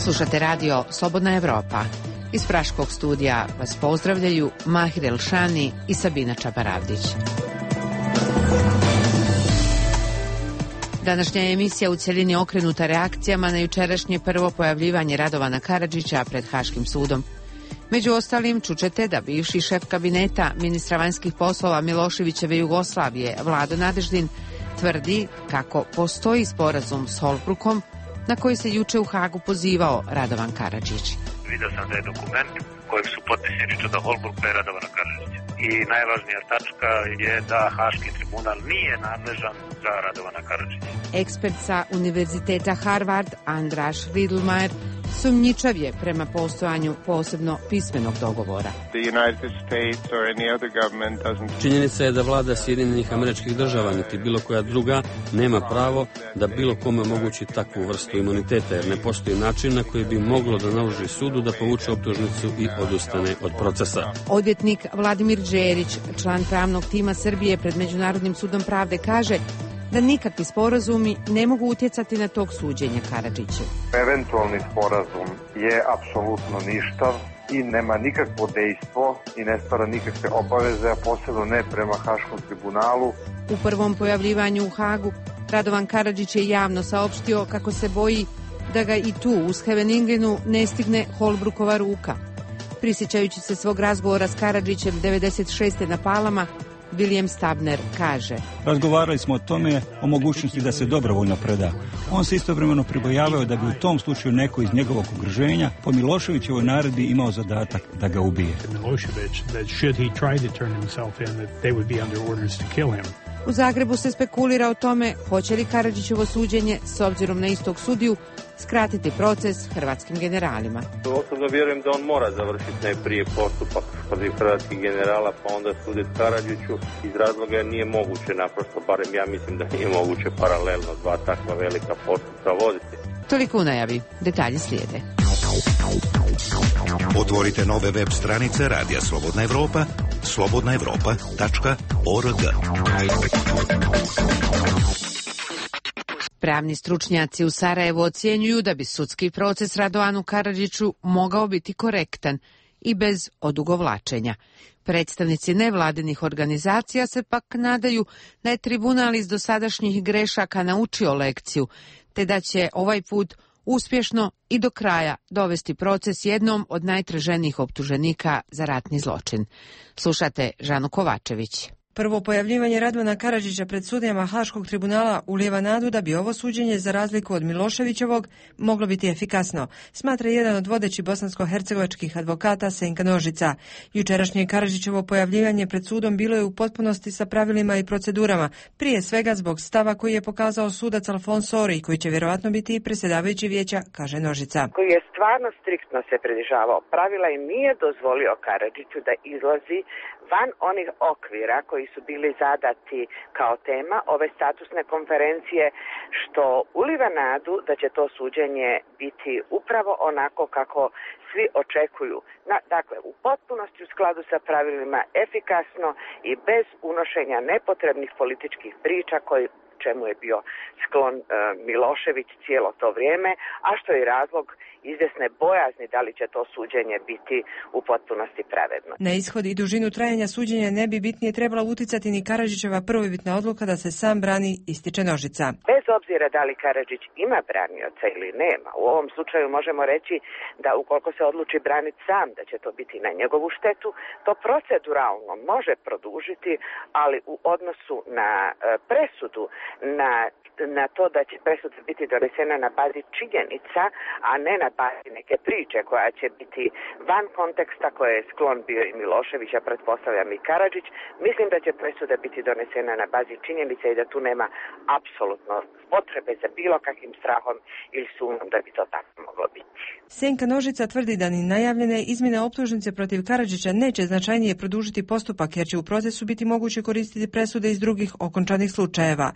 Slušate radio Slobodna Evropa. Iz Praškog studija vas pozdravljaju Mahir Elšani i Sabina Čabaravdić. Današnja emisija u cjelini okrenuta reakcijama na jučerašnje prvo pojavljivanje Radovana Karadžića pred Haškim sudom. Među ostalim čućete da bivši šef kabineta ministra vanjskih poslova Miloševićeve Jugoslavije Vlado Nadeždin tvrdi kako postoji sporazum s Holbrookom na koji se juče u Hagu pozivao Radovan Karadžić. Vidio sam da je dokument kojeg su potpisani Čeda Holbrooka i Radovana Karadžića. I najvažnija tačka je da Haški tribunal nije nadležan za Radovana Karadžića. Ekspert sa Univerziteta Harvard Andraš Riedlmajer sumnjičav je prema postojanju posebno pismenog dogovora. Činjenica je da vlada Sjedinjenih Američkih Država niti bilo koja druga nema pravo da bilo kome omogući takvu vrstu imuniteta, jer ne postoji način na koji bi moglo da naloži sudu da povuče optužnicu i odustane od procesa. Odvjetnik Vladimir Đerić, član pravnog tima Srbije pred Međunarodnim sudom pravde, kaže da nikakvi sporazumi ne mogu utjecati na tog suđenja Karadžiću. Eventualni sporazum je apsolutno ništav i nema nikakvo dejstvo i ne stvara nikakve obaveze, a posebno ne prema Haškom tribunalu. U prvom pojavljivanju u Hagu Radovan Karadžić je javno saopštio kako se boji da ga i tu u Scheveningenu ne stigne Holbrookova ruka. Prisjećajući se svog razgovora s Karadžićem 96. na Palama, William Stabner kaže: Razgovarali smo o tome, o mogućnosti da se dobrovoljno preda. On se istovremeno pribojavao da bi u tom slučaju neko iz njegovog okruženja po Miloševićevoj naredbi imao zadatak da ga ubije. U Zagrebu se spekulira o tome hoće li Karadžićevo suđenje, s obzirom na istog sudiju, skratiti proces hrvatskim generalima. Osobno vjerujem da on mora završiti najprije postupak protiv hrvatskih generala, pa onda suditi Karadžiću, iz razloga jer nije moguće naprosto, barem ja mislim da nije moguće paralelno dva takva velika postupka voditi. Toliko u najavi, detalji slijede. Otvorite nove web stranice Radija Slobodna Evropa, slobodnaevropa.org. Pravni stručnjaci u Sarajevu ocjenjuju da bi sudski proces Radovanu Karadžiću mogao biti korektan i bez odugovlačenja. Predstavnici nevladinih organizacija se pak nadaju da je tribunal iz dosadašnjih grešaka naučio lekciju, te da će ovaj put uspješno i do kraja dovesti proces jednom od najtraženijih optuženika za ratni zločin. Slušate Žanu Kovačević. Prvo pojavljivanje Radovana Karadžića pred sudijama Haškog tribunala ulijeva nadu da bi ovo suđenje, za razliku od Miloševićevog, moglo biti efikasno, smatra jedan od vodećih bosansko-hercegovačkih advokata Senka Nožica. Jučerašnje Karadžićevo pojavljivanje pred sudom bilo je u potpunosti sa pravilima i procedurama, prije svega zbog stava koji je pokazao sudac Alfons Ori, koji će vjerovatno biti i predsjedavajući vijeća, kaže Nožica. Koji je stvarno striktno se pridržavao pravila i nije dozvolio Karadžiću da izlazi van onih okvira koji su bili zadati kao tema ove statusne konferencije, što uliva nadu da će to suđenje biti upravo onako kako svi očekuju. Dakle, u potpunosti u skladu sa pravilima, efikasno i bez unošenja nepotrebnih političkih priča čemu je bio sklon Milošević cijelo to vrijeme, a što je razlog izvjesne bojazni da li će to suđenje biti u potpunosti pravedno. Na ishod i dužinu trajanja suđenja ne bi bitnije trebala utjecati ni Karadžićeva prvobitna odluka da se sam brani, ističe Nožica. Bez obzira da li Karadžić ima branioca ili nema, u ovom slučaju možemo reći da ukoliko se odluči braniti sam, da će to biti na njegovu štetu, to proceduralno može produžiti, ali u odnosu na presudu, na to da će presuda biti donesena na bazi činjenica, a ne na bazi neke priče koja će biti van konteksta koje je sklon bio i Milošević, a pretpostavljam i Karadžić, mislim da će presuda biti donesena na bazi činjenica i da tu nema apsolutno potrebe za bilo kakvim strahom ili sumnjom da bi to tako moglo biti. Senka Nožica tvrdi da ni najavljene izmjene optužnice protiv Karadžića neće značajnije produžiti postupak, jer će u procesu biti moguće koristiti presude iz drugih okončanih slučajeva.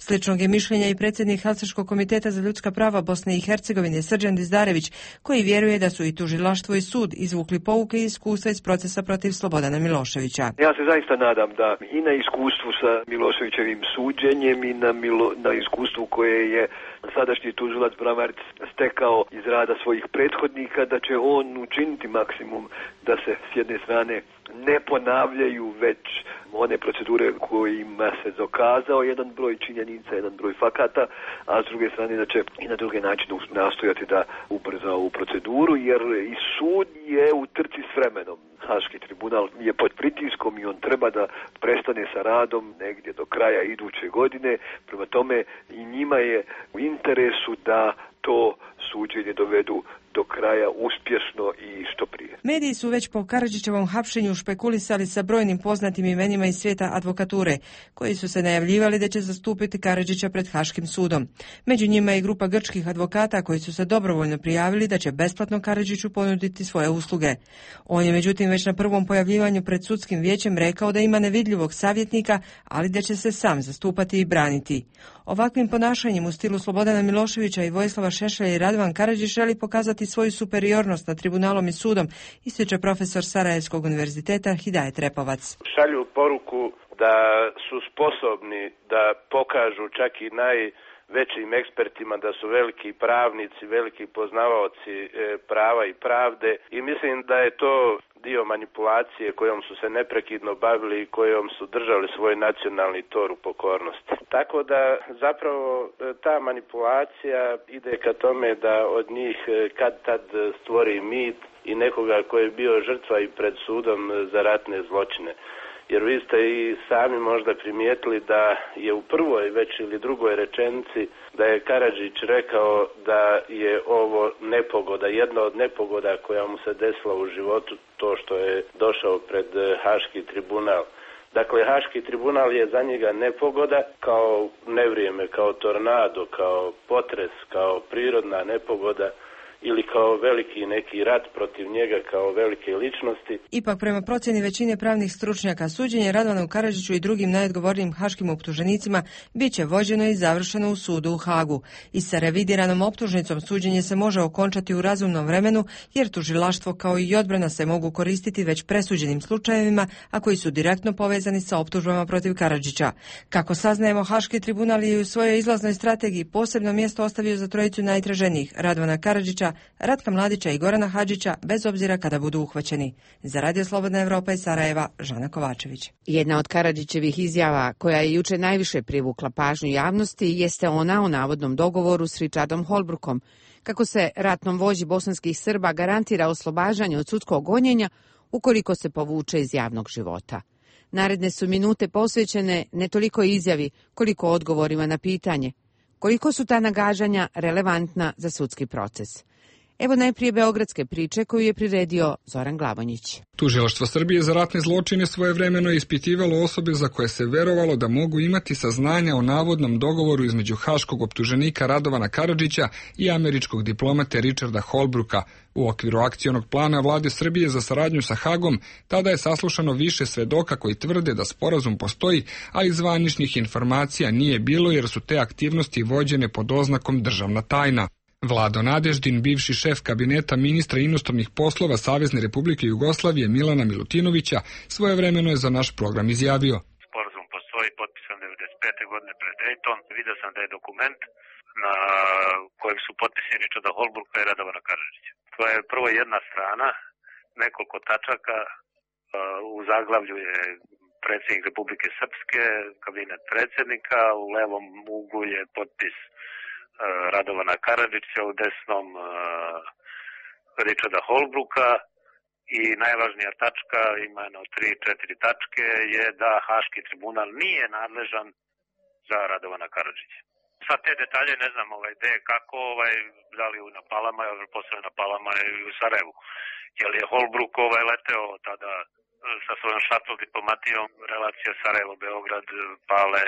Sličnog je mišljenja i predsjednik Helsinškog komiteta za ljudska prava Bosne i Hercegovine Srđan Dizdarević, koji vjeruje da su i tužilaštvo i sud izvukli pouke i iskustva iz procesa protiv Slobodana Miloševića. Ja se zaista nadam da i na iskustvu sa Miloševićevim suđenjem i na iskustvu koje je sadašnji tužilac Bramarić stekao iz rada svojih prethodnika, da će on učiniti maksimum da se s jedne strane ne ponavljaju već one procedure kojima se dokazao jedan broj činjenica, jedan broj fakata, a s druge strane da će i na druge načine nastojati da ubrza ovu proceduru, jer i sud je u trci s vremenom. Haški tribunal je pod pritiskom i on treba da prestane sa radom negdje do kraja iduće godine. Prema tome i njima je u interesu da to suđenje dovedu do kraja uspješno i što prije. Mediji su već po Karadžićevom hapšenju špekulisali sa brojnim poznatim imenima iz svijeta advokature, koji su se najavljivali da će zastupiti Karadžića pred Haškim sudom. Među njima je i grupa grčkih advokata koji su se dobrovoljno prijavili da će besplatno Karadžiću ponuditi svoje usluge. On je međutim već na prvom pojavljivanju pred sudskim vijećem rekao da ima nevidljivog savjetnika, ali da će se sam zastupati i braniti. Ovakvim ponašanjem u stilu Slobodana Miloševića i Vojislava Šešelja i Radovan Karadžić želi pokazati svoju superiornost nad tribunalom i sudom, ističe profesor Sarajevskog univerziteta Hidajet Repovac. Šalju poruku da su sposobni da pokažu čak i najvećim ekspertima da su veliki pravnici, veliki poznavaoci prava i pravde, i mislim da je to dio manipulacije kojom su se neprekidno bavili i kojom su držali svoj nacionalni tor u pokornosti. Tako da zapravo ta manipulacija ide ka tome da od njih kad tad stvori mit i nekoga koji je bio žrtva i pred sudom za ratne zločine. Jer vi ste i sami možda primijetili da je u prvoj već ili drugoj rečenici da je Karadžić rekao da je ovo nepogoda, jedna od nepogoda koja mu se desila u životu, to što je došao pred Haški tribunal. Dakle, Haški tribunal je za njega nepogoda, kao nevrijeme, kao tornado, kao potres, kao prirodna nepogoda, ili kao veliki neki rat protiv njega kao velike ličnosti. Ipak, prema procjeni većine pravnih stručnjaka, suđenje Radovanu Karadžiću i drugim najodgovornijim haškim optuženicima bit će vođeno i završeno u sudu u Hagu. I sa revidiranom optužnicom suđenje se može okončati u razumnom vremenu, jer tužilaštvo kao i odbrana se mogu koristiti već presuđenim slučajevima, a koji su direktno povezani sa optužbama protiv Karadžića. Kako saznajemo, Haški tribunal je u svojoj izlaznoj strategiji posebno mjesto ostavio za trojicu najtraženijih, Radovana Karadžića, Ratka Mladića i Gorana Hadžića, bez obzira kada budu uhvaćeni. Za Radio Slobodna Evropa iz Sarajeva, Žana Kovačević. Jedna od Karadžićevih izjava koja je juče najviše privukla pažnju javnosti jeste ona o navodnom dogovoru s Richardom Holbrookom, kako se ratnom vođi bosanskih Srba garantira oslobađanje od sudskog gonjenja ukoliko se povuče iz javnog života. Naredne su minute posvećene ne toliko izjavi koliko odgovorima na pitanje koliko su ta nagađanja relevantna za sudski proces. Evo najprije beogradske priče koju je priredio Zoran Glavonjić. Tužilaštvo Srbije za ratne zločine svojevremeno je ispitivalo osobe za koje se verovalo da mogu imati saznanja o navodnom dogovoru između haškog optuženika Radovana Karadžića i američkog diplomate Richarda Holbrooka. U okviru akcionog plana vlade Srbije za saradnju sa Hagom tada je saslušano više svedoka koji tvrde da sporazum postoji, ali zvaničnih informacija nije bilo jer su te aktivnosti vođene pod oznakom državna tajna. Vlado Nadeždin, bivši šef kabineta ministra inostranih poslova Savezne Republike Jugoslavije Milana Milutinovića, svojevremeno je za naš program izjavio. Sporazum postoji, potpisan 1995. godine pred Dayton. Vidio sam da je dokument na kojem su potpisi Richarda Holbrooka i Radovana Karadžića. To je prvo jedna strana, nekoliko tačaka, u zaglavlju je predsjednik Republike Srpske, kabinet predsjednika, u levom uglu je potpis Radovana Karadžića, u desnom Richarda Holbrooka, i najvažnija tačka, ima jedno 3-4 tačke, je da Haški tribunal nije nadležan za Radovana Karadžića. Sad te detalje ne znam gde, kako, da li na Palama, posebno na Palama i u Sarajevu. Jer je Holbrook leteo tada sa svojom šatl diplomatijom, relacija Sarajevo-Beograd, Pale,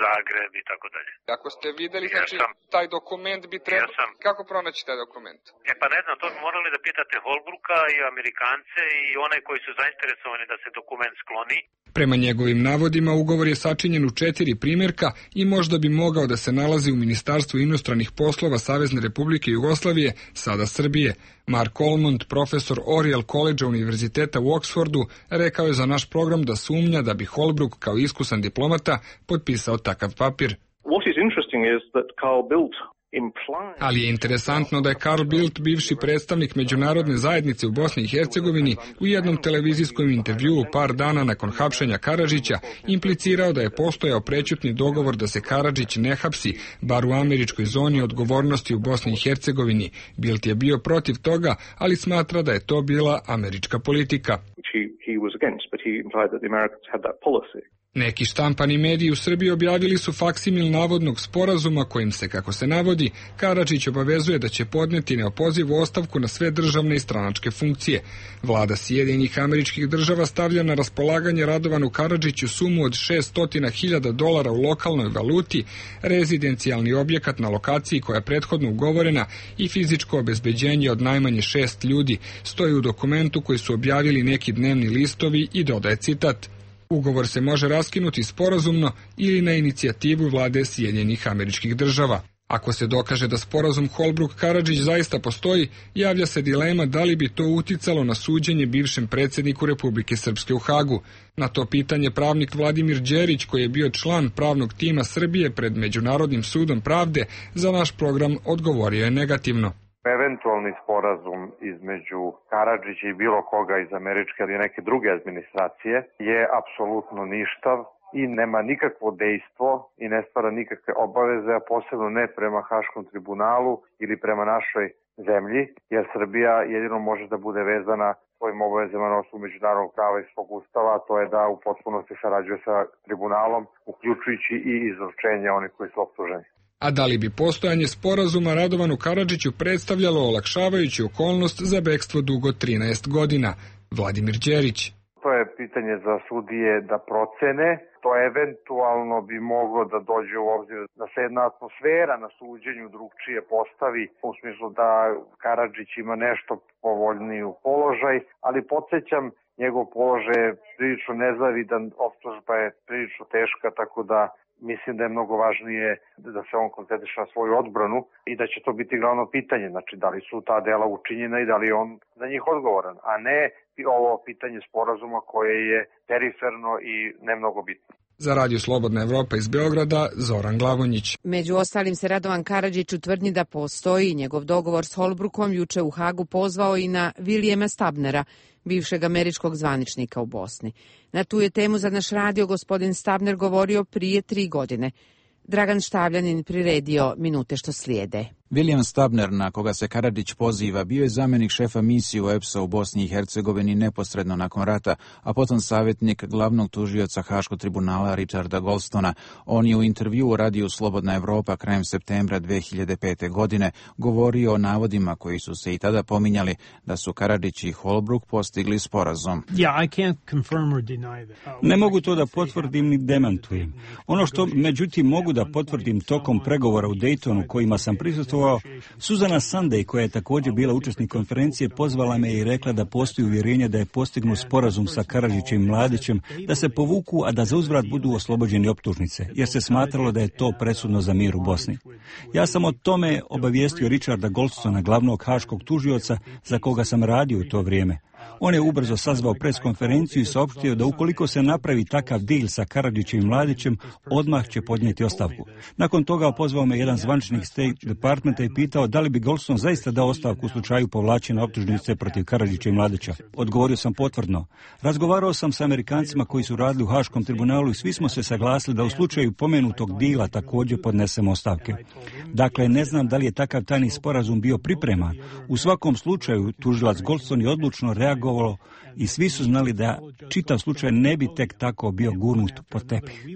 Zagreb i tako dalje. Ako ste videli, znači, taj dokument bi trebalo... Kako pronaći taj dokument? Pa ne znam, to bi morali da pitate Holbrooka i Amerikance i one koji su zainteresovani da se dokument skloni. Prema njegovim navodima, ugovor je sačinjen u 4 primjerka i možda bi mogao da se nalazi u Ministarstvu inostranih poslova Savezne Republike Jugoslavije, sada Srbije. Mark Olmond, profesor Oriel College Univerziteta u Oxfordu, rekao je za naš program da sumnja da bi Holbrook kao iskusan diplomata potpisao takav papir. What is interesting is that Carl Bildt Ali je interesantno da je Carl Bildt, bivši predstavnik međunarodne zajednice u Bosni i Hercegovini, u jednom televizijskom intervjuu par dana nakon hapšenja Karadžića implicirao da je postojao prećutni dogovor da se Karadžić ne hapsi, bar u američkoj zoni odgovornosti u Bosni i Hercegovini. Bildt je bio protiv toga, ali smatra da je to bila američka politika. Neki štampani mediji u Srbiji objavili su faksimil navodnog sporazuma kojim se, kako se navodi, Karadžić obavezuje da će podneti neopozivu ostavku na sve državne i stranačke funkcije. Vlada Sjedinjenih Američkih Država stavlja na raspolaganje Radovanu Karadžiću sumu od $600.000 u lokalnoj valuti, rezidencijalni objekat na lokaciji koja je prethodno ugovorena i fizičko obezbeđenje od najmanje 6 ljudi, stoji u dokumentu koji su objavili neki dnevni listovi i dodaje citat: Ugovor se može raskinuti sporazumno ili na inicijativu vlade Sjedinjenih Američkih Država. Ako se dokaže da sporazum Holbrooke-Karadžić zaista postoji, javlja se dilema da li bi to uticalo na suđenje bivšem predsjedniku Republike Srpske u Hagu. Na to pitanje pravnik Vladimir Đerić, koji je bio član pravnog tima Srbije pred Međunarodnim sudom pravde, za naš program odgovorio je negativno. Eventualni sporazum između Karadžića i bilo koga iz američke ili neke druge administracije je apsolutno ništav i nema nikakvo dejstvo i ne stvara nikakve obaveze, a posebno ne prema Haškom tribunalu ili prema našoj zemlji, jer Srbija jedino može da bude vezana svojim obavezama na osnovu međunarodnog prava i svog ustava, a to je da u potpunosti sarađuje sa tribunalom, uključujući i izručenje onih koji su optuženi. A da li bi postojanje sporazuma Radovanu Karadžiću predstavljalo olakšavajuću okolnost za bekstvo dugo 13 godina? Vladimir Đerić. To je pitanje za sudije da procene. To eventualno bi moglo da dođe u obzir da se jedna atmosfera na suđenju drugčije postavi, u smislu da Karadžić ima nešto povoljniju položaj, ali podsjećam, njegov položaj je prilično nezavidan, optužba je prilično teška, tako da mislim da je mnogo važnije da se on koncentriše na svoju odbranu i da će to biti glavno pitanje, znači da li su ta dela učinjena i da li je on za njih odgovoran, a ne ovo pitanje sporazuma koje je periferno i ne mnogo bitno. Za Radio Slobodna Evropa iz Beograda, Zoran Glavonjić. Među ostalim se Radovan Karadžić u tvrdnji da postoji njegov dogovor s Holbrookom juče u Hagu pozvao i na Williama Stabnera, bivšeg američkog zvaničnika u Bosni. Na tu je temu za naš radio gospodin Stabner govorio prije 3 godine. Dragan Štavljanin priredio minute što slijede. William Stabner, na koga se Karadžić poziva, bio je zamjenik šefa misije EPS-a u Bosni i Hercegovini neposredno nakon rata, a potom savjetnik glavnog tužioca Haškog tribunala Richarda Goldstona. On je u intervjuu u radiju Slobodna Evropa krajem septembra 2005. godine govorio o navodima koji su se i tada pominjali da su Karadžić i Holbrooke postigli sporazum. Ne mogu to da potvrdim ni demantujem. Ono što međutim mogu da potvrdim tokom pregovora u Daytonu kojima sam prisustvovao, Suzana Sunday, koja je također bila učesnik konferencije, pozvala me i rekla da postoji uvjerenje da je postignut sporazum sa Karadžićem i Mladićem, da se povuku, a da za uzvrat budu oslobođeni optužnice, jer se smatralo da je to presudno za mir u Bosni. Ja sam o tome obavijestio Richarda Goldstona, glavnog haškog tužioca za koga sam radio u to vrijeme. On je ubrzo sazvao preskonferenciju i saopštio da ukoliko se napravi takav deal sa Karadžićem i Mladićem, odmah će podnijeti ostavku. Nakon toga pozvao me jedan zvaničnik State Departmenta i pitao da li bi Goldstone zaista dao ostavku u slučaju povlačenja optužnice protiv Karadžića i Mladića. Odgovorio sam potvrdno. Razgovarao sam sa Amerikancima koji su radili u Haškom tribunalu i svi smo se saglasili da u slučaju pomenutog dila također podnesemo ostavke. Dakle, ne znam da li je takav tajni sporazum bio pripreman. U svakom slučaju, tužilac Goldstone je odlučno reagovalo i svi su znali da čitav slučaj ne bi tek tako bio gurnut pod tepih.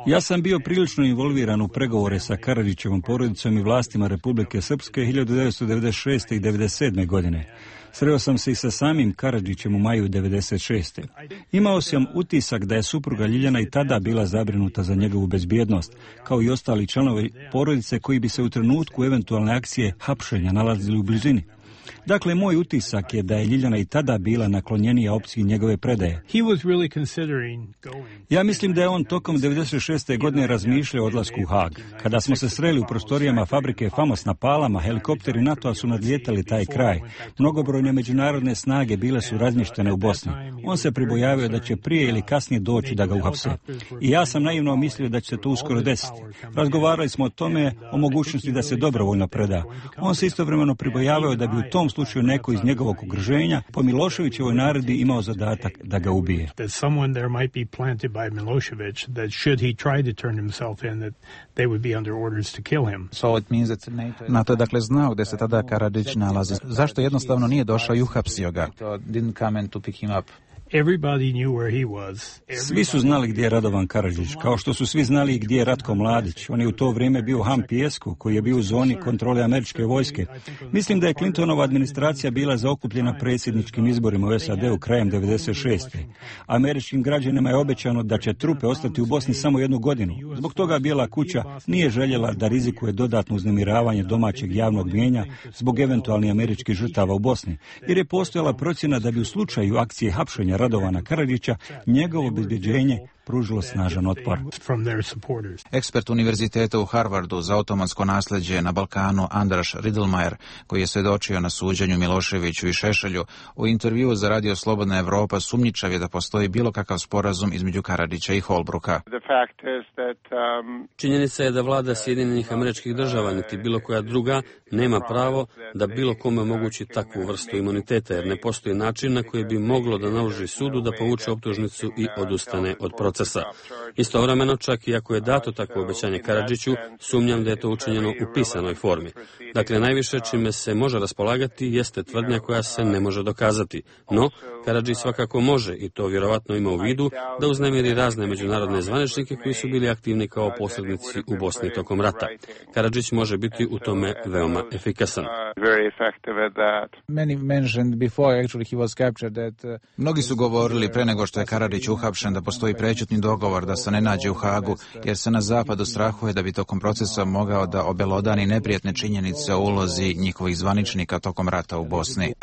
Ja sam bio prilično involviran u pregovore sa Karadžićevom porodicom i vlastima Republike Srpske 1996. i 1997. godine. Sreo sam se i sa samim Karadžićem u maju 1996. Imao sam utisak da je supruga Ljiljana i tada bila zabrinuta za njegovu bezbjednost, kao i ostali članovi porodice koji bi se u trenutku eventualne akcije hapšenja nalazili u blizini. Dakle, moj utisak je da je Ljiljana i tada bila naklonjenija opciji njegove predaje. Ja mislim da je on tokom 96. godine razmišljao o odlasku u Haag. Kada smo se sreli u prostorijama fabrike Famos na Palama, helikopteri NATO-a su nadlijetali taj kraj. Mnogobrojne međunarodne snage bile su razmještene u Bosni. On se pribojavio da će prije ili kasnije doći da ga uhapse. I ja sam naivno mislio da će se to uskoro desiti. Razgovarali smo o tome, o mogućnosti da se dobrovoljno preda. On se istovremeno pribojavao da bi u tom slučaju neko iz njegovog okruženja po Miloševićevoj naredbi imao zadatak da ga ubije. NATO je dakle znao gdje se tada Karadžić nalazi. Zašto jednostavno nije došao i uhapsio ga? Svi su znali gdje je Radovan Karadžić, kao što su svi znali gdje je Ratko Mladić. On je u to vrijeme bio u Hampijesku, koji je bio u zoni kontrole američke vojske. Mislim da je Clintonova administracija bila zaokupljena predsjedničkim izborima u SAD-u krajem 96. Američkim građanima je obećano da će trupe ostati u Bosni samo 1 godinu. Zbog toga Bijela kuća nije željela da rizikuje dodatno uznemiravanje domaćeg javnog mnijenja zbog eventualnih američkih žrtava u Bosni, jer je postojala procjena da bi u slučaju akcije hapšenja Radovana Karadžića njegovo obezbeđenje pružilo snažan otpor. Ekspert univerziteta u Harvardu za otomansko nasljeđe na Balkanu Andraš Riedlmayer, koji je svjedočio na suđenju Miloševiću i Šešelju, u intervjuu za Radio Slobodna Evropa sumnjičav je da postoji bilo kakav sporazum između Karadžića i Holbrooka. Činjenica je da vlada Sjedinjenih Američkih Država niti bilo koja druga nema pravo da bilo kome omogući takvu vrstu imuniteta, jer ne postoji način na koji bi moglo da naloži sudu da povuče optužnicu i odustane od procesa. Istovremeno, čak i ako je dato takvo obećanje Karadžiću, sumnjam da je to učinjeno u pisanoj formi. Dakle, najviše čime se može raspolagati jeste tvrdnja koja se ne može dokazati. No, Karadžić svakako može, i to vjerovatno ima u vidu, da uznemiri razne međunarodne zvaničnike koji su bili aktivni kao posrednici u Bosni tokom rata. Karadžić može biti u tome veoma efikasan. Mnogi su govorili pre nego što je Karadžić uhapšen da postoji prećutni dogovor da se ne nađe u Hagu, jer se na zapadu strahuje da bi tokom procesa mogao da obelodani neprijatne činjenice o ulozi njihovih zvaničnika tokom rata u Bosni.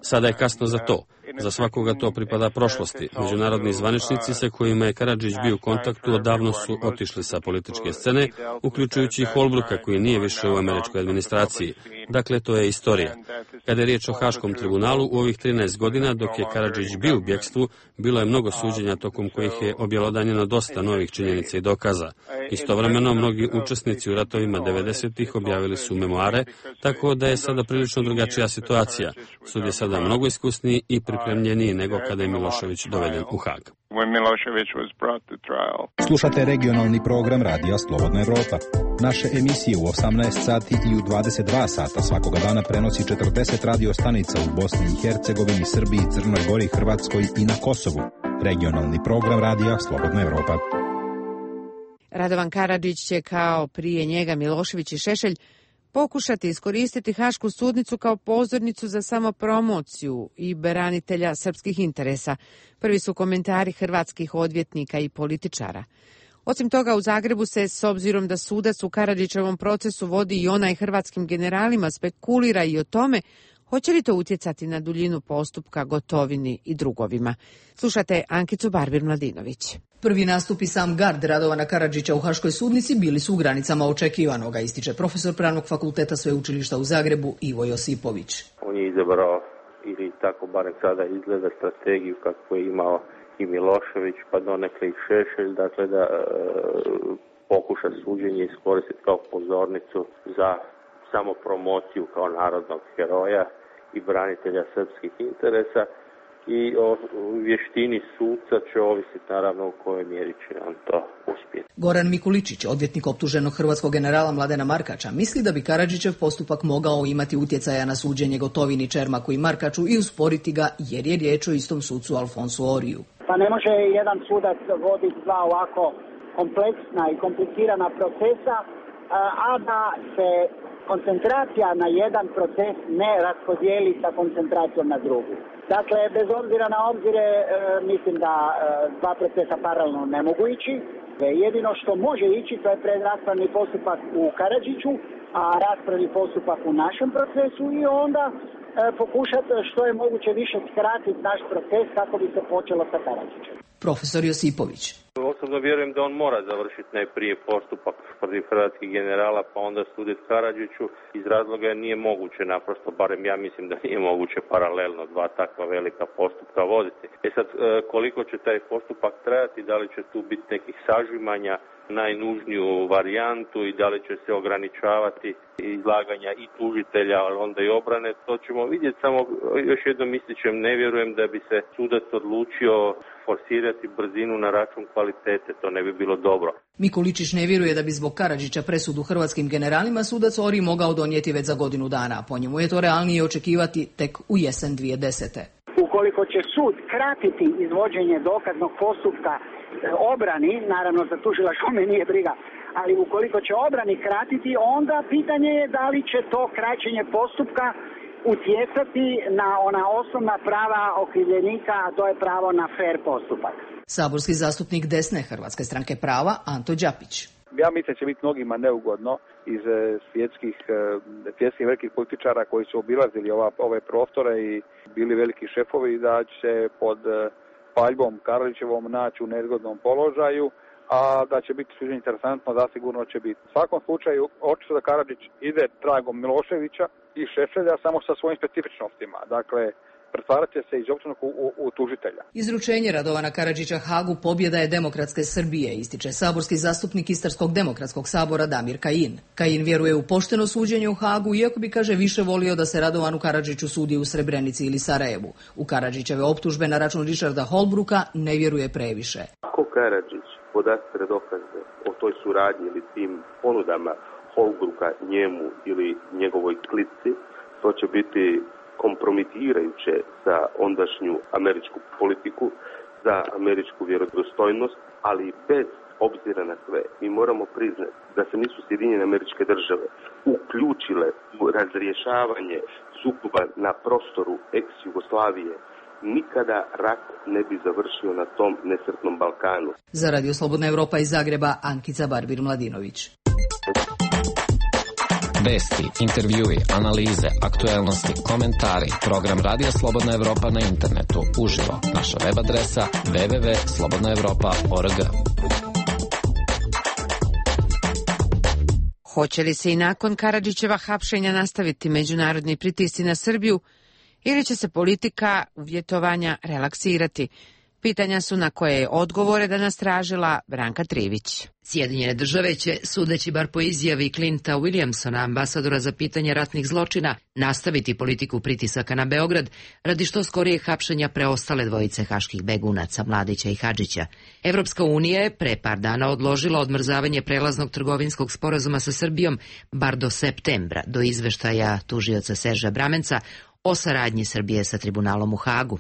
Sada je kasno za to. Za svakoga to pripada prošlosti. Međunarodni zvaničnici sa kojima je Karadžić bio u kontaktu odavno su otišli sa političke scene, uključujući i Holbrooka koji nije više u američkoj administraciji. Dakle, to je istorija. Kada je riječ o Haškom tribunalu, u ovih 13 godina dok je Karadžić bio u bjekstvu, bilo je mnogo suđenja tokom kojih je objelodanjeno dosta novih činjenica i dokaza. Istovremeno, mnogi učesnici u ratovima 90-ih objavili su memoare, tako da je sada prilično drugačija situacija. Sud je sada mnogo iskusniji i pripremljeniji nego kada je Milošević doveden u Hag. Slušate regionalni program Radija Slobodna Evropa. Naše emisije u 18 sati i u 22 sata svakoga dana prenosi 40 radio stanica u Bosni i Hercegovini, Srbiji, Crnoj Gori, Hrvatskoj i na Kosovu. Regionalni program Radija Slobodna Evropa. Radovan Karadžić će kao prije njega Milošević i Šešelj pokušati iskoristiti Hašku sudnicu kao pozornicu za samopromociju i branitelja srpskih interesa. Prvi su komentari hrvatskih odvjetnika i političara. Osim toga, u Zagrebu se, s obzirom da sudac u Karadžićevom procesu vodi i onaj hrvatskim generalima, spekulira i o tome hoće li to utjecati na duljinu postupka Gotovini i drugovima. Slušate Ankicu Barbir-Mladinović. Prvi nastup i sam gard Radovana Karadžića u Haškoj sudnici bili su u granicama očekivanoga, ističe profesor Pravnog fakulteta Sveučilišta u Zagrebu Ivo Josipović. On je izabrao, ili tako barem sada izgleda, strategiju kako je imao i Milošević, pa donekle i Šešelj, dakle da pokuša suđenje iskoristiti kao pozornicu za samopromociju kao narodnog heroja i branitelja srpskih interesa. I o vještini suca će ovisiti naravno u kojoj mjeri će on to uspjeti. Goran Mikuličić, odvjetnik optuženog hrvatskog generala Mladena Markača, misli da bi Karadžićev postupak mogao imati utjecaja na suđenje Gotovini, Čermaku i Markaču i usporiti ga jer je riječ o istom sucu Alfonsu Oriju. Pa ne može jedan sudac voditi dva ovako kompleksna i komplicirana procesa, a da se koncentracija na jedan proces ne raspodijeli sa koncentracijom na drugu. Dakle, bez obzira na obzire, mislim da dva procesa paralelno ne mogu ići. Jedino što može ići, to je predraspravni postupak u Karadžiću raspravni postupak u našem procesu i onda pokušati što je moguće više skratiti naš proces kako bi se počelo sa Karadžićem. Profesor Josipović. Osobno vjerujem da on mora završiti najprije postupak protiv hrvatskih generala pa onda suditi Karadžiću. Iz razloga nije moguće naprosto, barem ja mislim da nije moguće paralelno dva takva velika postupka voditi. Sad koliko će taj postupak trajati, da li će tu biti nekih sažimanja, najnužniju varijantu i da li će se ograničavati izlaganja i tužitelja, ali onda i obrane, to ćemo vidjeti. Samo još jednom ističem, ne vjerujem da bi se sudac odlučio forsirati brzinu na račun kvalitete, to ne bi bilo dobro. Mikuličić ne vjeruje da bi zbog Karadžića presudu hrvatskim generalima sudac Ori mogao donijeti već za godinu dana. Po njemu je to realnije očekivati tek u jesen 2010. Ukoliko će sud kratiti izvođenje dokaznog postupka obrani, naravno za tužilaštvo me nije briga, ali ukoliko će obrani kratiti, onda pitanje je da li će to kraćenje postupka utjecati na ona osnovna prava okrivljenika, a to je pravo na fer postupak. Saborski zastupnik desne Hrvatske stranke prava Anto Đapić. Ja mislim da će biti mnogima neugodno iz svjetskih velikih političara koji su obilazili ove prostore i bili veliki šefovi, da će pod paljbom Karadžićevom naći u nezgodnom položaju, a da će biti suđenje interesantno, zasigurno će biti. U svakom slučaju, očito da Karadžić ide tragom Miloševića i Šešelja samo sa svojim specifičnostima. Dakle, pretvarat će se iz općinog u tužitelja. Izručenje Radovana Karadžića Hagu pobjeda je demokratske Srbije, ističe saborski zastupnik Istarskog demokratskog sabora Damir Kajin. Kajin vjeruje u pošteno suđenje u Hagu, iako bi, kaže, više volio da se Radovanu Karadžiću sudi u Srebrenici ili Sarajevu. U Karadžićeve optužbe na račun Richarda Holbrooka ne vjeruje previše. Ako Karadžić podastre dokaze o toj suradnji ili tim ponudama Holbrooka njemu ili njegovoj klici, to će biti kompromitirajuće za ondašnju američku politiku, za američku vjerodostojnost, ali bez obzira na sve, mi moramo priznati da se nisu Sjedinjene Američke Države uključile u razrješavanje sukoba na prostoru ex-Jugoslavije, nikada rat ne bi završio na tom nesretnom Balkanu. Za Radio Slobodna Evropa iz Zagreba, Ankica Barbir-Mladinović. Vesti, intervjui, analize, aktuelnosti, komentari, program Radija Slobodna Evropa na internetu, uživo. Naša web adresa www.slobodnaevropa.org. Hoće li se i nakon Karadžićeva hapšenja nastaviti međunarodni pritisci na Srbiju ili će se politika uvjetovanja relaksirati? Pitanja su na koje je odgovore danas tražila Branka Trivić. Sjedinjene države će, sudeći bar po izjavi Clinta Williamsona, ambasadora za pitanje ratnih zločina, nastaviti politiku pritisaka na Beograd radi što skorijeg hapšenja preostale dvojice haških begunaca, Mladića i Hadžića. Evropska unija je pre par dana odložila odmrzavanje prelaznog trgovinskog sporazuma sa Srbijom bar do septembra, do izveštaja tužioca Serža Bramenca o saradnji Srbije sa tribunalom u Hagu.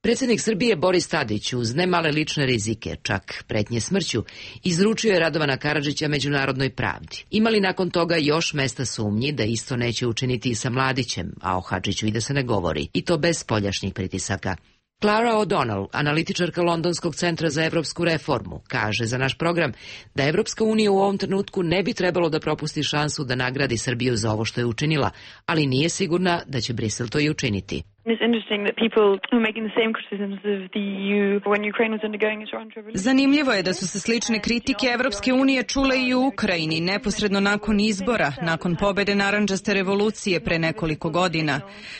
Predsjednik Srbije Boris Tadić uz ne male lične rizike, čak pretnje smrću, izručio je Radovana Karadžića međunarodnoj pravdi. Ima li nakon toga još mesta sumnji da isto neće učiniti i sa Mladićem, a o Hadžiću i da se ne govori, i to bez spoljašnjih pritisaka? Clara O'Donnell, analitičarka Londonskog centra za evropsku reformu, kaže za naš program da Evropska unija u ovom trenutku ne bi trebalo da propusti šansu da nagradi Srbiju za ovo što je učinila, ali nije sigurna da će Brisel to i učiniti. Zanimljivo je da su se slične kritike Evropske unije čule i u Ukrajini neposredno nakon izbora, nakon pobede narandžaste revolucije pre nekoliko godina.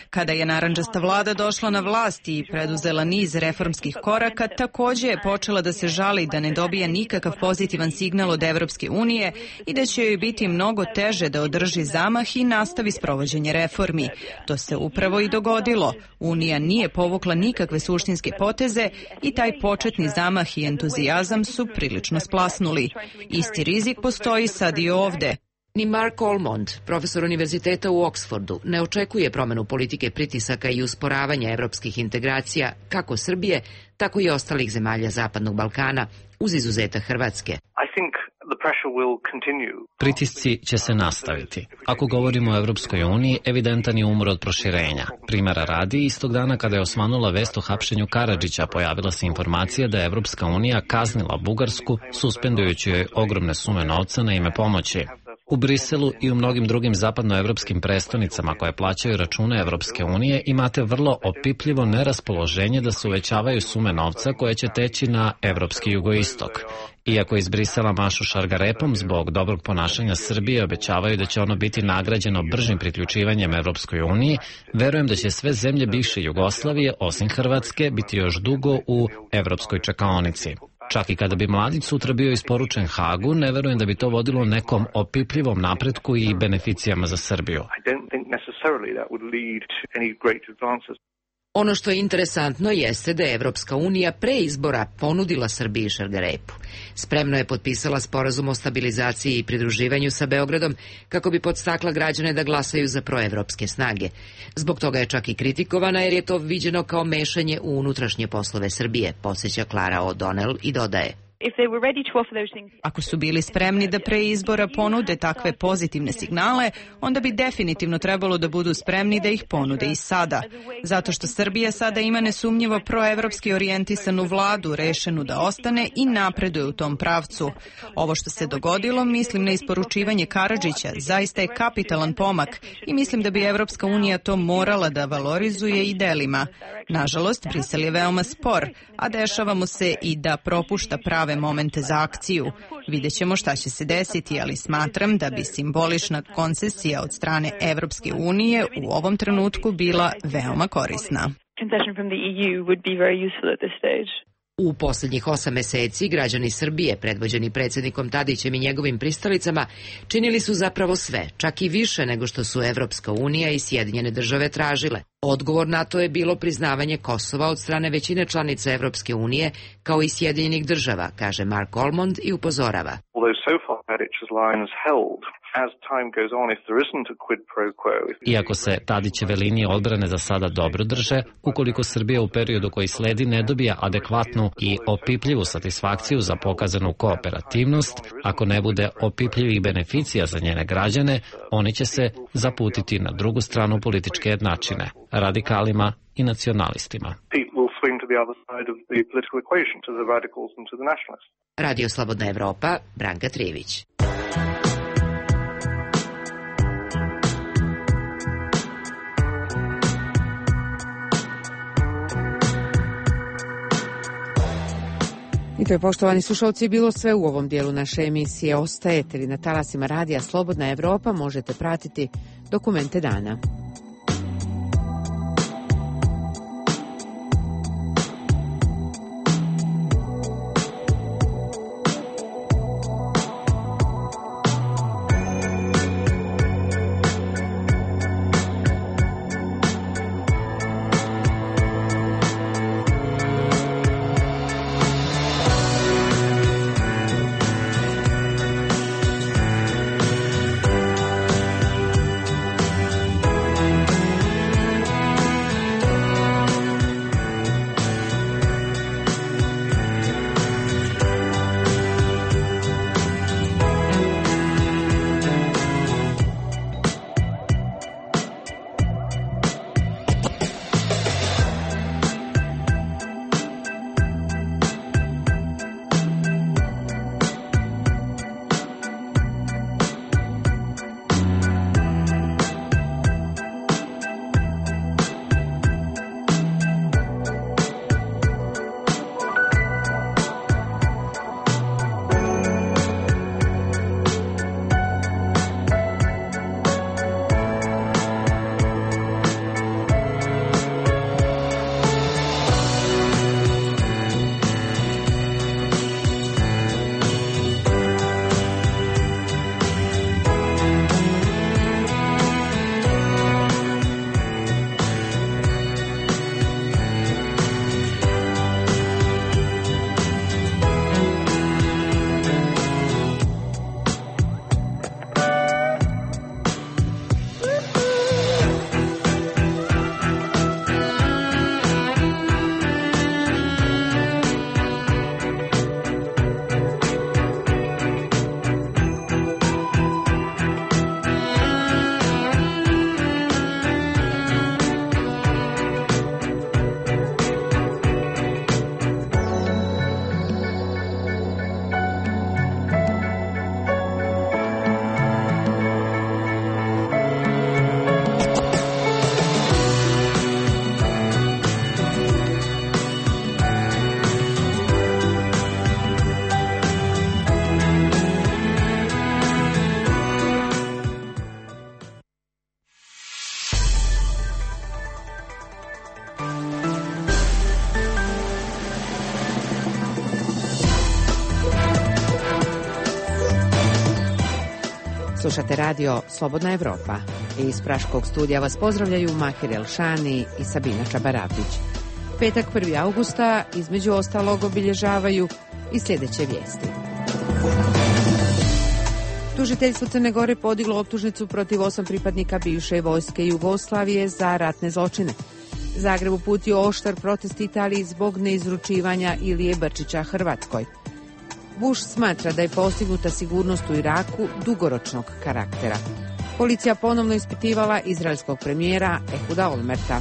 Kada je narandžasta vlada došla na vlast i preduzela niz reformskih koraka, također je počela da se žali da ne dobija nikakav pozitivan signal od Evropske unije i da će joj biti mnogo teže da održi zamah i nastavi sprovođenje reformi. To se upravo i dogodilo. Unija nije povukla nikakve suštinske poteze i taj početni zamah i entuzijazam su prilično splasnuli. Isti rizik postoji sad i ovde. Ni Mark Ormond, profesor univerziteta u Oksfordu, ne očekuje promenu politike pritisaka i usporavanja evropskih integracija kako Srbije, tako i ostalih zemalja Zapadnog Balkana, uz izuzetak Hrvatske. Pritisci će se nastaviti. Ako govorimo o Evropskoj uniji, evidentan je umor od proširenja. Primjera radi, istog dana kada je osvanula vest o hapšenju Karadžića, pojavila se informacija da je Evropska unija kaznila Bugarsku, suspendujući joj ogromne sume novca na ime pomoći. U Briselu i u mnogim drugim zapadnoevropskim prestonicama koje plaćaju račune Evropske unije imate vrlo opipljivo neraspoloženje da se uvećavaju sume novca koje će teći na evropski jugoistok. Iako iz Brisela mašu šargarepom zbog dobrog ponašanja Srbije obećavaju da će ono biti nagrađeno bržim priključivanjem Evropskoj uniji, verujem da će sve zemlje bivše Jugoslavije, osim Hrvatske, biti još dugo u evropskoj čekaonici. Čak i kada bi mladić sutra bio isporučen Hagu, ne verujem da bi to vodilo nekom opipljivom napretku i beneficijama za Srbiju. Ono što je interesantno jeste da je Evropska unija pre izbora ponudila Srbiji šargarepu. Spremno je potpisala sporazum o stabilizaciji i pridruživanju sa Beogradom kako bi podstakla građane da glasaju za proevropske snage. Zbog toga je čak i kritikovana jer je to viđeno kao mešanje u unutrašnje poslove Srbije, podsjeća Clara O'Donnell i dodaje. Ako su bili spremni da pre izbora ponude takve pozitivne signale, onda bi definitivno trebalo da budu spremni da ih ponude i sada. Zato što Srbija sada ima nesumnjivo proevropski orijentisanu vladu, rešenu da ostane i napreduje u tom pravcu. Ovo što se dogodilo, mislim na isporučivanje Karadžića, zaista je kapitalan pomak i mislim da bi Evropska unija to morala da valorizuje i delima. Nažalost, Brisel je veoma spor, a dešava mu se i da propušta prave momente za akciju. Vidjet ćemo šta će se desiti, ali smatram da bi simbolična koncesija od strane Evropske unije u ovom trenutku bila veoma korisna. U posljednjih 8 meseci građani Srbije, predvođeni predsjednikom Tadićem i njegovim pristalicama, činili su zapravo sve, čak i više nego što su Evropska unija i Sjedinjene države tražile. Odgovor na to je bilo priznavanje Kosova od strane većine članica Evropske unije, kao i Sjedinjenih država, kaže Mark Almond i upozorava. Iako se Tadićeve linije odbrane za sada dobro drže, ukoliko Srbija u periodu koji sledi ne dobija adekvatnu i opipljivu satisfakciju za pokazanu kooperativnost, ako ne bude opipljivih beneficija za njene građane, oni će se zaputiti na drugu stranu političke jednačine, radikalima i nacionalistima. Radio Slobodna Evropa, Branka Trivić. I to je, poštovani slušalci, bilo sve u ovom dijelu naše emisije. Ostajete li na talasima radija Slobodna Evropa, možete pratiti dokumente dana. Slušate radio Slobodna Evropa. Iz Praškog studija vas pozdravljaju Mahir Elšani i Sabina Čabarapić. Petak 1. augusta između ostalog obilježavaju i sljedeće vijesti. Tužiteljstvo Crne Gore podiglo optužnicu protiv 8 pripadnika bivše vojske Jugoslavije za ratne zločine. Zagreb uputio oštar protest Italiji zbog neizručivanja Ilije Brčića Hrvatskoj. Bush smatra da je postignuta sigurnost u Iraku dugoročnog karaktera. Policija ponovno ispitivala izraelskog premijera Ehuda Olmerta.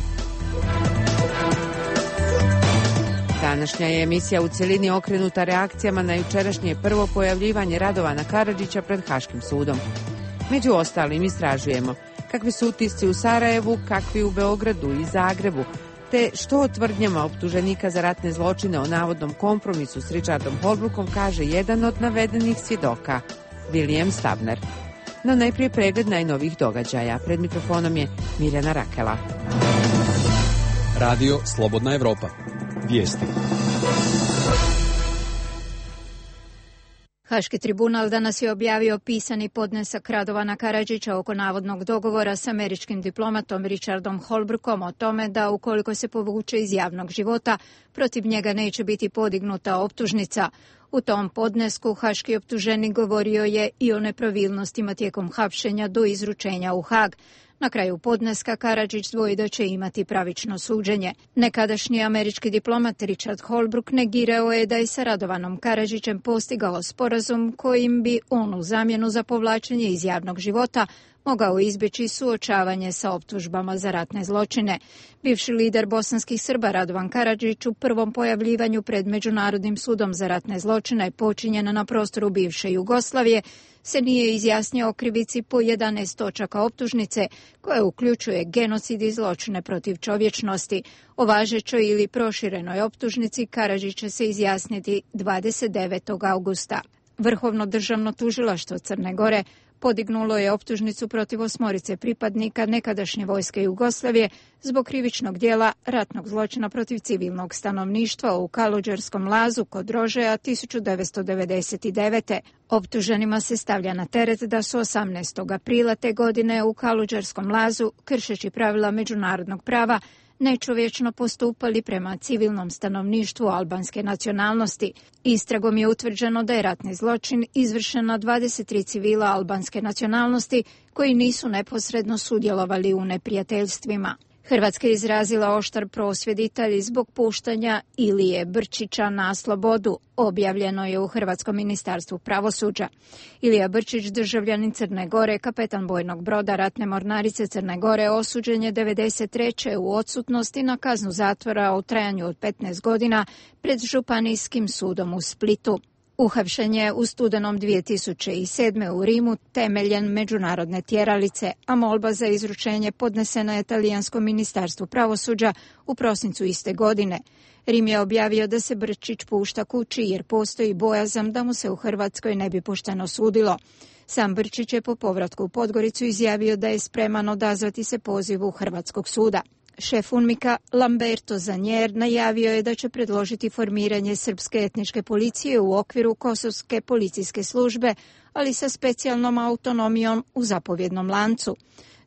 Današnja je emisija u cjelini okrenuta reakcijama na jučerašnje prvo pojavljivanje Radovana Karadžića pred Haškim sudom. Među ostalim istražujemo kakvi su utisci u Sarajevu, kakvi u Beogradu i Zagrebu, te što o tvrdnjama optuženika za ratne zločine o navodnom kompromisu s Richardom Holbrookom kaže jedan od navedenih svjedoka, William Stabner. No najprije pregled najnovijih događaja. Pred mikrofonom je Mirjana Rakela. Radio Slobodna Evropa. Vijesti. Haški tribunal danas je objavio pisani podnesak Radovana Karadžića oko navodnog dogovora s američkim diplomatom Richardom Holbrookom o tome da ukoliko se povuče iz javnog života, protiv njega neće biti podignuta optužnica. U tom podnesku haški optuženik govorio je i o nepravilnostima tijekom hapšenja do izručenja u Hag. Na kraju podneska Karadžić dvoji da će imati pravično suđenje. Nekadašnji američki diplomat Richard Holbrooke negirao je da je sa Radovanom Karadžićem postigao sporazum kojim bi on u zamjenu za povlačenje iz javnog života mogao izbjeći suočavanje sa optužbama za ratne zločine. Bivši lider bosanskih Srba Radovan Karadžić u prvom pojavljivanju pred Međunarodnim sudom za ratne zločine počinjena na prostoru bivše Jugoslavije se nije izjasnio o krivici po 11 točaka optužnice koje uključuje genocid i zločine protiv čovječnosti. O važećoj ili proširenoj optužnici Karadžić će se izjasniti 29. augusta. Vrhovno državno tužilaštvo Crne Gore podignulo je optužnicu protiv 8 pripadnika nekadašnje vojske Jugoslavije zbog krivičnog djela ratnog zločina protiv civilnog stanovništva u Kaluđerskom lazu kod Rožaja 1999. Optuženima se stavlja na teret da su 18. aprila te godine u Kaluđerskom lazu, kršeći pravila međunarodnog prava, nečovječno postupali prema civilnom stanovništvu albanske nacionalnosti. Istragom je utvrđeno da je ratni zločin izvršen na 23 civila albanske nacionalnosti koji nisu neposredno sudjelovali u neprijateljstvima. Hrvatska je izrazila oštar prosvjed Italiji zbog puštanja Ilije Brčića na slobodu, objavljeno je u Hrvatskom ministarstvu pravosuđa. Ilija Brčić, državljanin Crne Gore, kapetan bojnog broda ratne mornarice Crne Gore, osuđen je 1993. u odsutnosti na kaznu zatvora u trajanju od 15 godina pred Županijskim sudom u Splitu. Uhapšen je u studenom 2007. u Rimu temeljem međunarodne tjeralice, a molba za izručenje podnesena je Talijanskom ministarstvu pravosuđa u prosincu iste godine. Rim je objavio da se Brčić pušta kući jer postoji bojazan da mu se u Hrvatskoj ne bi pošteno sudilo. Sam Brčić je po povratku u Podgoricu izjavio da je spreman odazvati se pozivu Hrvatskog suda. Šef UNMIK-a Lamberto Zanjer najavio je da će predložiti formiranje srpske etničke policije u okviru kosovske policijske službe, ali sa specijalnom autonomijom u zapovjednom lancu.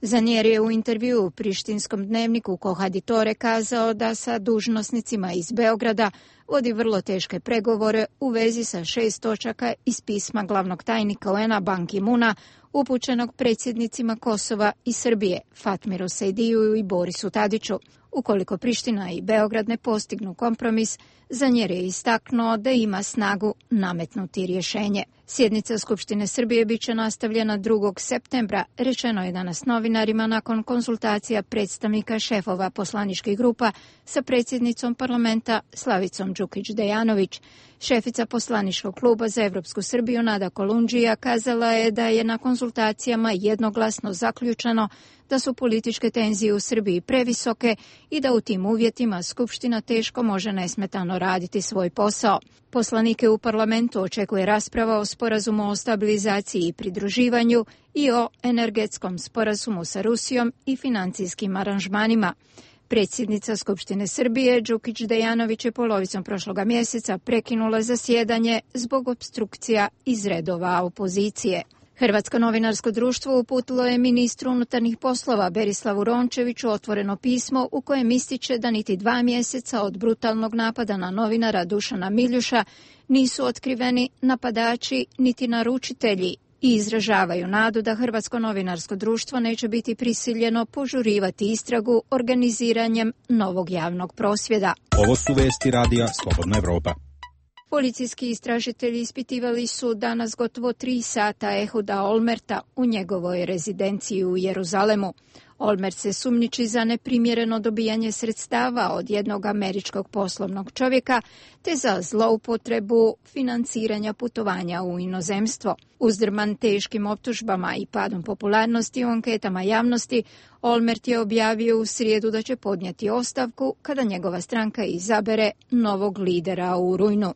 Zanjer je u intervjuu u prištinskom dnevniku Kohaditore kazao da sa dužnosnicima iz Beograda vodi vrlo teške pregovore u vezi sa 6 točaka iz pisma glavnog tajnika UN-a Ban Ki-muna upućenog predsjednicima Kosova i Srbije, Fatmiru Sejdiju i Borisu Tadiću. Ukoliko Priština i Beograd ne postignu kompromis, Zanjer je istaknuo da ima snagu nametnuti rješenje. Sjednica Skupštine Srbije bit će nastavljena 2. septembra, rečeno je danas novinarima nakon konsultacija predstavnika šefova poslaničkih grupa sa predsjednicom parlamenta Slavicom Đukić-Dejanović. Šefica poslaničkog kluba za Evropsku Srbiju Nada Kolundžija kazala je da je na konsultacijama jednoglasno zaključeno da su političke tenzije u Srbiji previsoke i da u tim uvjetima Skupština teško može nesmetano raditi svoj posao. Poslanike u parlamentu očekuje rasprava o sporazumu o stabilizaciji i pridruživanju i o energetskom sporazumu sa Rusijom i financijskim aranžmanima. Predsjednica Skupštine Srbije Đukić Dejanović je polovicom prošloga mjeseca prekinula zasjedanje zbog opstrukcija iz redova opozicije. Hrvatsko novinarsko društvo uputilo je ministru unutarnjih poslova Berislavu Rončeviću otvoreno pismo u kojem ističe da niti 2 mjeseca od brutalnog napada na novinara Dušana Miljuša nisu otkriveni napadači niti naručitelji i izražavaju nadu da Hrvatsko novinarsko društvo neće biti prisiljeno požurivati istragu organiziranjem novog javnog prosvjeda. Ovo su vesti radija Slobodna Evropa. Policijski istražitelji ispitivali su danas gotovo 3 sata Ehuda Olmerta u njegovoj rezidenciji u Jeruzalemu. Olmert se sumnjiči za neprimjereno dobijanje sredstava od jednog američkog poslovnog čovjeka te za zloupotrebu financiranja putovanja u inozemstvo. Uzdrman teškim optužbama i padom popularnosti u anketama javnosti, Olmert je objavio u srijedu da će podnijeti ostavku kada njegova stranka izabere novog lidera u rujnu.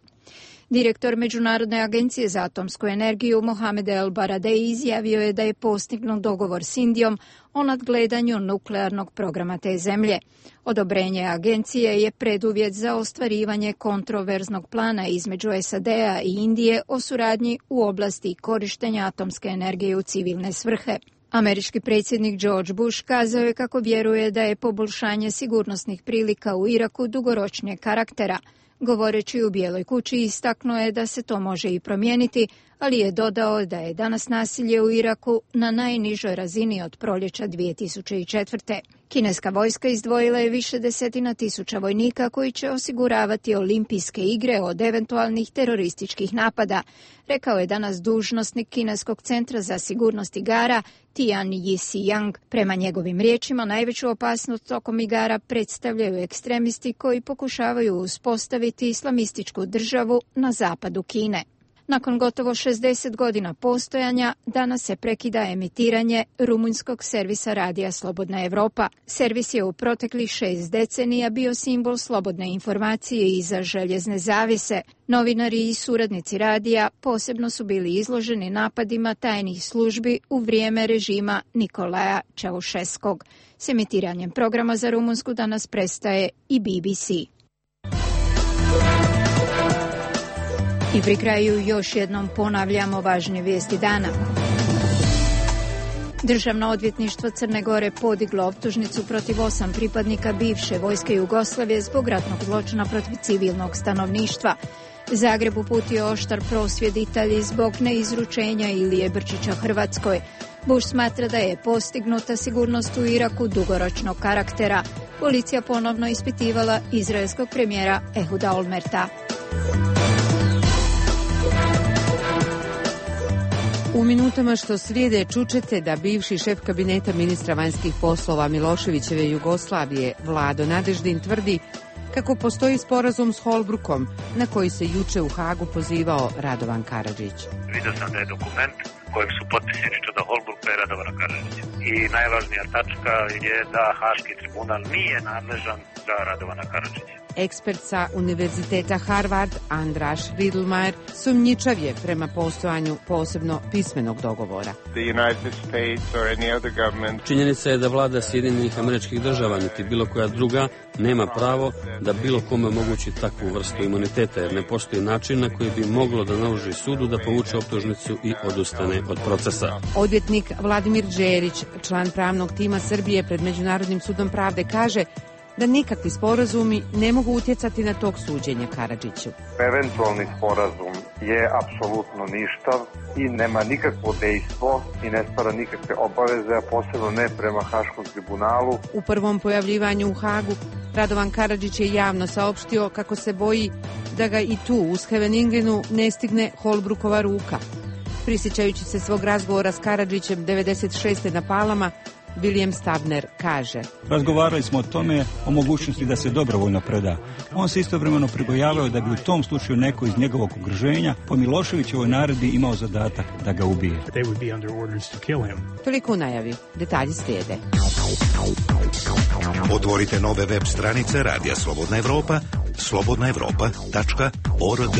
Direktor Međunarodne agencije za atomsku energiju Mohamed El Baradei izjavio je da je postignut dogovor s Indijom o nadgledanju nuklearnog programa te zemlje. Odobrenje agencije je preduvjet za ostvarivanje kontroverznog plana između SAD-a i Indije o suradnji u oblasti korištenja atomske energije u civilne svrhe. Američki predsjednik George Bush kazao je kako vjeruje da je poboljšanje sigurnosnih prilika u Iraku dugoročnijeg karaktera. Govoreći u Bijeloj kući istaknuo je da se to može i promijeniti, ali je dodao da je danas nasilje u Iraku na najnižoj razini od proljeća 2004. Kineska vojska izdvojila je više desetina tisuća vojnika koji će osiguravati olimpijske igre od eventualnih terorističkih napada, rekao je danas dužnosnik Kineskog centra za sigurnost igara Tian Yixiyang. Prema njegovim riječima, najveću opasnost tokom igara predstavljaju ekstremisti koji pokušavaju uspostaviti islamističku državu na zapadu Kine. Nakon gotovo 60 godina postojanja, danas se prekida emitiranje rumunjskog servisa radija Slobodna Evropa. Servis je u proteklih 6 decenija bio simbol slobodne informacije iza željezne zavjese. Novinari i suradnici radija posebno su bili izloženi napadima tajnih službi u vrijeme režima Nikolaja Čaušeskog. S emitiranjem programa za Rumunsku danas prestaje i BBC. I pri kraju još jednom ponavljamo važnije vijesti dana. Državno odvjetništvo Crne Gore podiglo optužnicu protiv 8 pripadnika bivše vojske Jugoslavije zbog ratnog zločina protiv civilnog stanovništva. Zagreb uputio oštar prosvjed Italiji zbog neizručenja Ilije Brčića Hrvatskoj. Bush smatra da je postignuta sigurnost u Iraku dugoročnog karaktera. Policija ponovno ispitivala izraelskog premijera Ehuda Olmerta. U minutama što slijede čućete da bivši šef kabineta ministra vanjskih poslova Miloševićeve Jugoslavije Vlado Nadeždin tvrdi kako postoji sporazum s Holbrookom na koji se juče u Hagu pozivao Radovan Karadžić. Vidio sam da je dokument kojeg su potpisani Čeda Holbrooka i Radovana Karadžića. I najvažnija tačka je da Haški tribunal nije nadležan za Radovana Karadžića. Ekspert sa Univerziteta Harvard Andraš Riedlmajer sumnjičav je prema postojanju posebno pismenog dogovora. Činjenica je da vlada Sjedinjenih Američkih Država niti bilo koja druga nema pravo da bilo kome omogući takvu vrstu imuniteta, jer ne postoji način na koji bi moglo da naloži sudu da povuče optužnicu i odustane od procesa. Odvjetnik Vladimir Đerić, član pravnog tima Srbije pred Međunarodnim sudom pravde, kaže da nikakvi sporazumi ne mogu utjecati na tok suđenja Karadžiću. Eventualni sporazum je apsolutno ništav i nema nikakvo dejstvo i ne stvara nikakve obaveze, a posebno ne prema Haškom tribunalu. U prvom pojavljivanju u Hagu Radovan Karadžić je javno saopštio kako se boji da ga i tu u Scheveningenu ne stigne Holbrookova ruka. Prisjećajući se svog razgovora s Karadžićem 96. na Palama, William Stabner kaže: Razgovarali smo o tome, o mogućnosti da se dobrovoljno preda. On se istovremeno pribojavao da bi u tom slučaju neko iz njegovog okruženja po Miloševićevoj naredbi imao zadatak da ga ubije. Toliko u najavi. Detalji slijede. Otvorite nove web stranice Radija Slobodna Evropa, slobodnaevropa.org.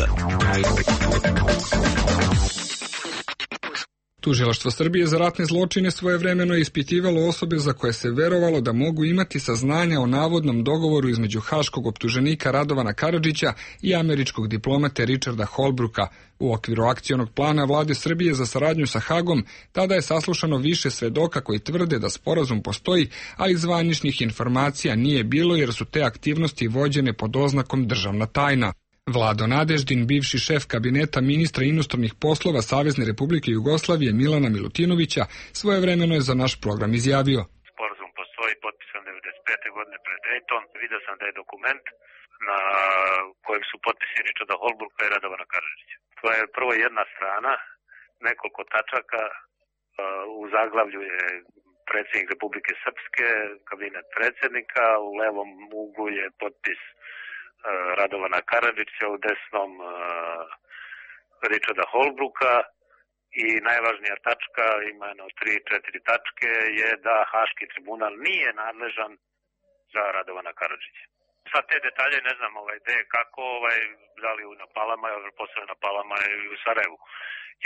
Tužilaštvo Srbije za ratne zločine svojevremeno je ispitivalo osobe za koje se verovalo da mogu imati saznanja o navodnom dogovoru između haškog optuženika Radovana Karadžića i američkog diplomate Richarda Holbrooka. U okviru akcionog plana vlade Srbije za saradnju sa Hagom tada je saslušano više svedoka koji tvrde da sporazum postoji, ali zvaničnih informacija nije bilo jer su te aktivnosti vođene pod oznakom državna tajna. Vlado Nadeždin, bivši šef kabineta ministra inostranih poslova Savezne Republike Jugoslavije Milana Milutinovića, svojevremeno je za naš program izjavio. Sporazum postoji, potpisan 1995. godine pred Dayton. Vidio sam da je dokument na kojem su potpisi Richarda Holbrooka i Radovana Karadžića. To je prvo jedna strana, nekoliko tačaka, u zaglavlju je predsjednik Republike Srpske, kabinet predsjednika, u levom uglu je potpis Radovana Karadžića, u desnom Richarda Holbrooka i najvažnija tačka, ima jedno 3-4 tačke, je da Haški tribunal nije nadležan za Radovana Karadžića. Sad te detalje ne znam gde, kako, da li na Palama, posle na Palama i u Sarajevu.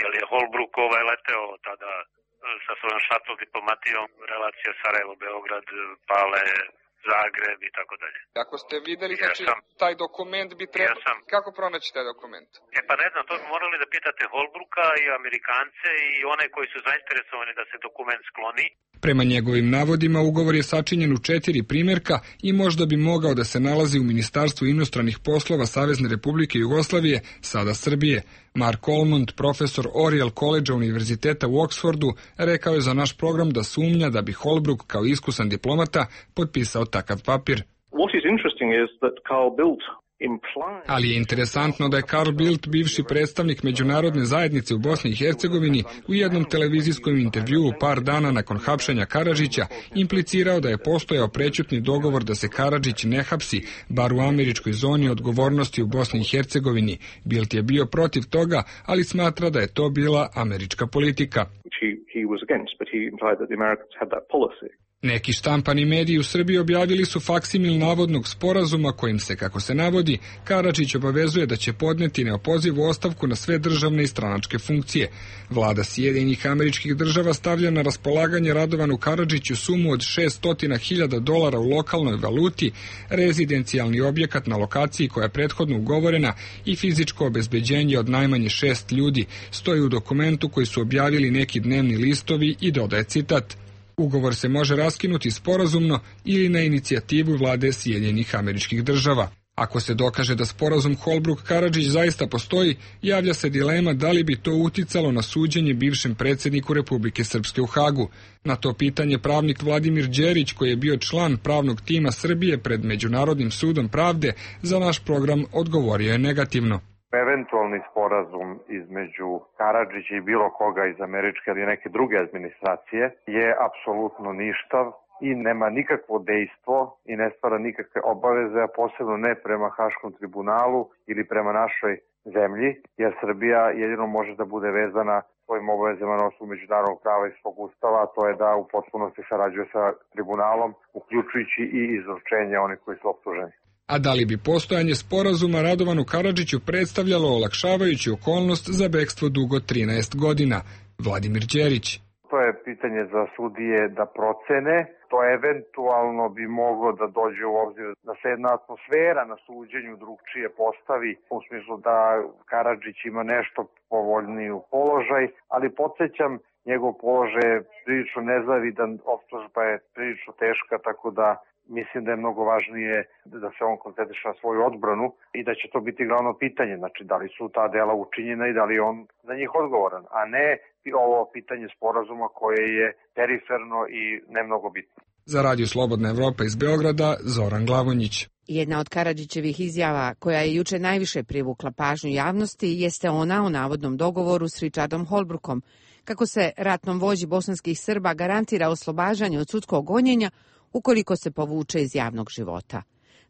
Jer je Holbrook leteo tada sa svojom šatl diplomatijom, relacija Sarajevo-Beograd, Pale, Zagreb i tako dalje. Ako ste videli, znači, taj dokument bi trebalo... Kako pronaći taj dokument? Pa ne znam, to bi morali da pitate Holbrooka i Amerikance i one koji su zainteresovani da se dokument skloni. Prema njegovim navodima, ugovor je sačinjen u 4 primjerka i možda bi mogao da se nalazi u Ministarstvu inostranih poslova Savezne Republike Jugoslavije, sada Srbije. Mark Olmond, profesor Oriel College Univerziteta u Oksfordu, rekao je za naš program da sumnja da bi Holbrook kao iskusan diplomata potpisao takav papir. Ali je interesantno da je Carl Bildt, bivši predstavnik međunarodne zajednice u Bosni i Hercegovini, u jednom televizijskom intervjuu par dana nakon hapšenja Karadžića implicirao da je postojao prećutni dogovor da se Karadžić ne hapsi, bar u američkoj zoni odgovornosti u Bosni i Hercegovini. Bildt je bio protiv toga, ali smatra da je to bila američka politika. Neki štampani mediji u Srbiji objavili su faksimil navodnog sporazuma kojim se, kako se navodi, Karadžić obavezuje da će podneti neopozivu ostavku na sve državne i stranačke funkcije. Vlada Sjedinjenih Američkih Država stavlja na raspolaganje Radovanu Karadžiću sumu od $600.000 u lokalnoj valuti, rezidencijalni objekat na lokaciji koja je prethodno ugovorena i fizičko obezbeđenje od najmanje 6 ljudi, stoji u dokumentu koji su objavili neki dnevni listovi i dodaje citat. Ugovor se može raskinuti sporazumno ili na inicijativu vlade Sjedinjenih Američkih Država. Ako se dokaže da sporazum Holbrooke-Karadžić zaista postoji, javlja se dilema da li bi to uticalo na suđenje bivšem predsjedniku Republike Srpske u Hagu. Na to pitanje pravnik Vladimir Đerić, koji je bio član pravnog tima Srbije pred Međunarodnim sudom pravde, za naš program odgovorio je negativno. Eventualni sporazum između Karadžića i bilo koga iz američke ili neke druge administracije je apsolutno ništav i nema nikakvo dejstvo i ne stvara nikakve obaveze, a posebno ne prema Haškom tribunalu ili prema našoj zemlji, jer Srbija jedino može da bude vezana svojim obavezama na osnovu međunarodnog prava iz svog ustava, a to je da u potpunosti sarađuje sa tribunalom, uključujući i izručenje onih koji su optuženi. A da li bi postojanje sporazuma Radovanu Karadžiću predstavljalo olakšavajuću okolnost za bekstvo dugo 13 godina? Vladimir Đerić. To je pitanje za sudije da procene. To eventualno bi moglo da dođe u obzir da se jedna atmosfera na suđenju drugčije postavi, u smislu da Karadžić ima nešto povoljniju položaj, ali podsjećam, njegov položaj je prilično nezavidan, optužba je prilično teška, tako da mislim da je mnogo važnije da se on koncentriše na svoju odbranu i da će to biti glavno pitanje, znači da li su ta dela učinjena i da li on za njih odgovoran, a ne ovo pitanje sporazuma koje je periferno i ne mnogo bitno. Za Radio Slobodna Evropa iz Beograda, Zoran Glavonjić. Jedna od Karadžićevih izjava koja je juče najviše privukla pažnju javnosti jeste ona o navodnom dogovoru s Richardom Holbrookom, kako se ratnom vođi bosanskih Srba garantira oslobađanje od sudskog gonjenja ukoliko se povuče iz javnog života.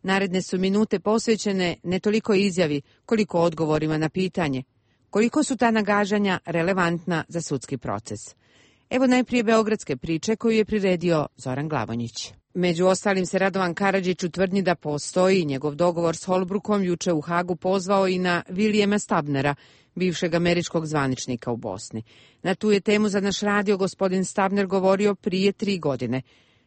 Naredne su minute posvećene ne toliko izjavi, koliko odgovorima na pitanje koliko su ta nagađanja relevantna za sudski proces. Evo najprije beogradske priče koju je priredio Zoran Glavonjić. Među ostalim se Radovan Karadžić u tvrdnji da postoji njegov dogovor s Holbrookom juče u Hagu pozvao i na Williama Stabnera, bivšeg američkog zvaničnika u Bosni. Na tu je temu za naš radio gospodin Stabner govorio prije 3 godine.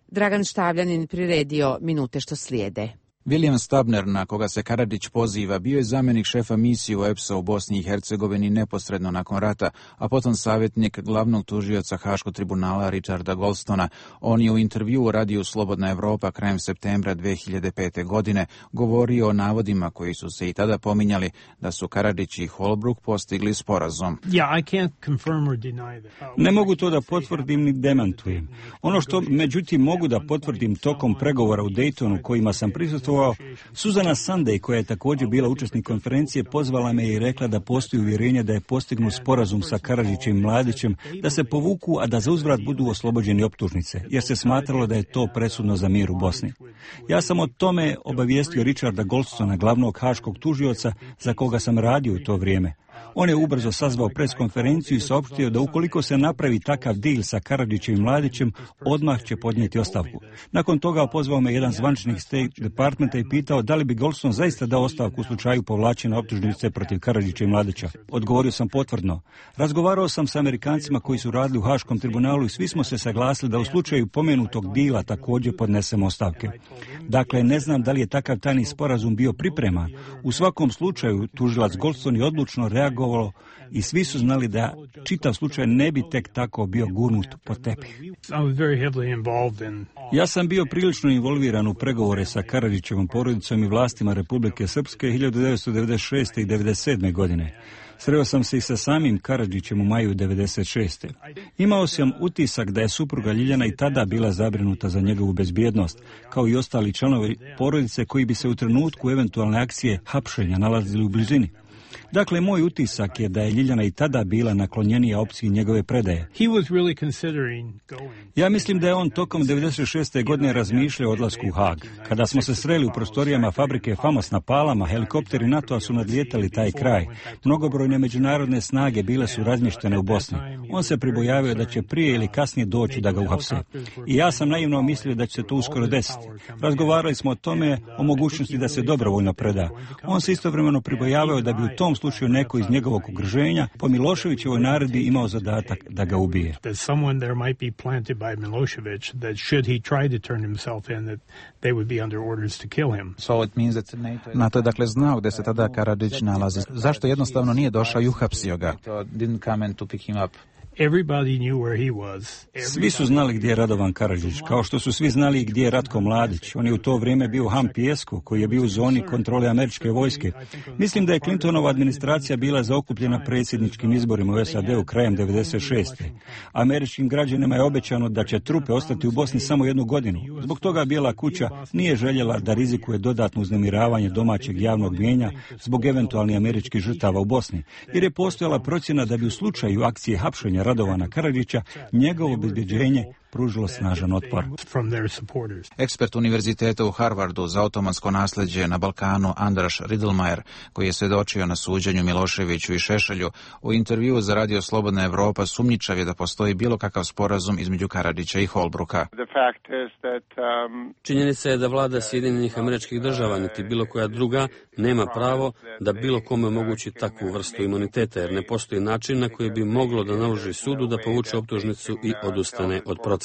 Dragan Štavljanin priredio minute što slijede. William Stabner, na koga se Karadžić poziva, bio je zamjenik šefa misije EPS-a u Bosni i Hercegovini neposredno nakon rata, a potom savjetnik glavnog tužioca Haškog tribunala Richarda Goldstona. On je u intervjuu u radiju Slobodna Evropa krajem septembra 2005. godine govorio o navodima koji su se i tada pominjali da su Karadžić i Holbrooke postigli sporazum. Ne mogu to da potvrdim ni demantujem. Ono što međutim mogu da potvrdim tokom pregovora u Daytonu kojima sam prisustvovao, Susana Sunday, koja je također bila učesnik konferencije, pozvala me i rekla da postoji uvjerenje da je postignut sporazum sa Karadžićem i Mladićem, da se povuku, a da za uzvrat budu oslobođeni optužnice, jer se smatralo da je to presudno za mir u Bosni. Ja sam o tome obavijestio Richarda Goldstona, glavnog haškog tužioca za koga sam radio u to vrijeme. On je ubrzo sazvao preskonferenciju i saopštio da ukoliko se napravi takav deal sa Karadžićem i Mladićem, odmah će podnijeti ostavku. Nakon toga pozvao me jedan zvaničnik State Departmenta i pitao da li bi Goldston zaista dao ostavku u slučaju povlačenja optužnice protiv Karadžića i Mladića. Odgovorio sam potvrdno. Razgovarao sam sa Amerikancima koji su radili u Haškom tribunalu i svi smo se saglasili da u slučaju pomenutog dila također podnesemo ostavke. Dakle, ne znam da li je takav tajni sporazum bio pripreman. U svakom slučaju, tužilac Goldston je odlučno reagovao i svi su znali da čitav slučaj ne bi tek tako bio gurnut pod tepih. Ja sam bio prilično involviran u pregovore sa Karadžićevom porodicom i vlastima Republike Srpske 1996. i 1997. godine. Sreo sam se i sa samim Karadžićem u maju 1996. Imao sam utisak da je supruga Ljiljana i tada bila zabrinuta za njegovu bezbjednost, kao i ostali članovi porodice koji bi se u trenutku eventualne akcije hapšenja nalazili u blizini. Dakle, moj utisak je da je Ljiljana i tada bila naklonjenija opciji njegove predaje. Ja mislim da je on tokom 1996. godine razmišljao o odlasku u Hag. Kada smo se sreli u prostorijama fabrike Famos na Palama, helikopteri NATO-a su nadlijetali taj kraj. Mnogobrojne međunarodne snage bile su razmještene u Bosni. On se pribojavio da će prije ili kasnije doći da ga uhapse. I ja sam naivno mislio da će se to uskoro desiti. Razgovarali smo o tome, o mogućnosti da se dobrovoljno preda. On se istovremeno pribojavao da bi u tom slučaju neko iz njegovog okruženja po Miloševićevoj naredbi imao zadatak da ga ubije. NATO je dakle znao gdje se tada Karadžić nalazi. Zašto jednostavno nije došao i uhapsio ga? Svi su znali gdje je Radovan Karadžić, kao što su svi znali gdje je Ratko Mladić. On je u to vrijeme bio u Hampijesku, koji je bio u zoni kontrole američke vojske. Mislim da je Clintonova administracija bila zaokupljena predsjedničkim izborima u SAD-u krajem 1996. Američkim građanima je obećano da će trupe ostati u Bosni samo 1 godinu. Zbog toga Bijela kuća nije željela da rizikuje dodatno uznemiravanje domaćeg javnog mnijenja zbog eventualnih američkih žrtava u Bosni, jer je postojala procjena da bi u slučaju akcije hapšenja Radovana Karadžića njegovo obezbeđenje pružilo snažan otpor. Ekspert univerziteta u Harvardu za otomansko nasljeđe na Balkanu Andras Riedlmayer, koji je svjedočio na suđenju Miloševiću i Šešelju, u intervjuu za Radio Slobodna Evropa sumnjičav je da postoji bilo kakav sporazum između Karadžića i Holbrooka. Činjenica je da vlada Sjedinjenih Američkih Država niti bilo koja druga nema pravo da bilo kome omogući takvu vrstu imuniteta, jer ne postoji način na koji bi moglo da naloži sudu da povuče optužnicu i odustane od procesa.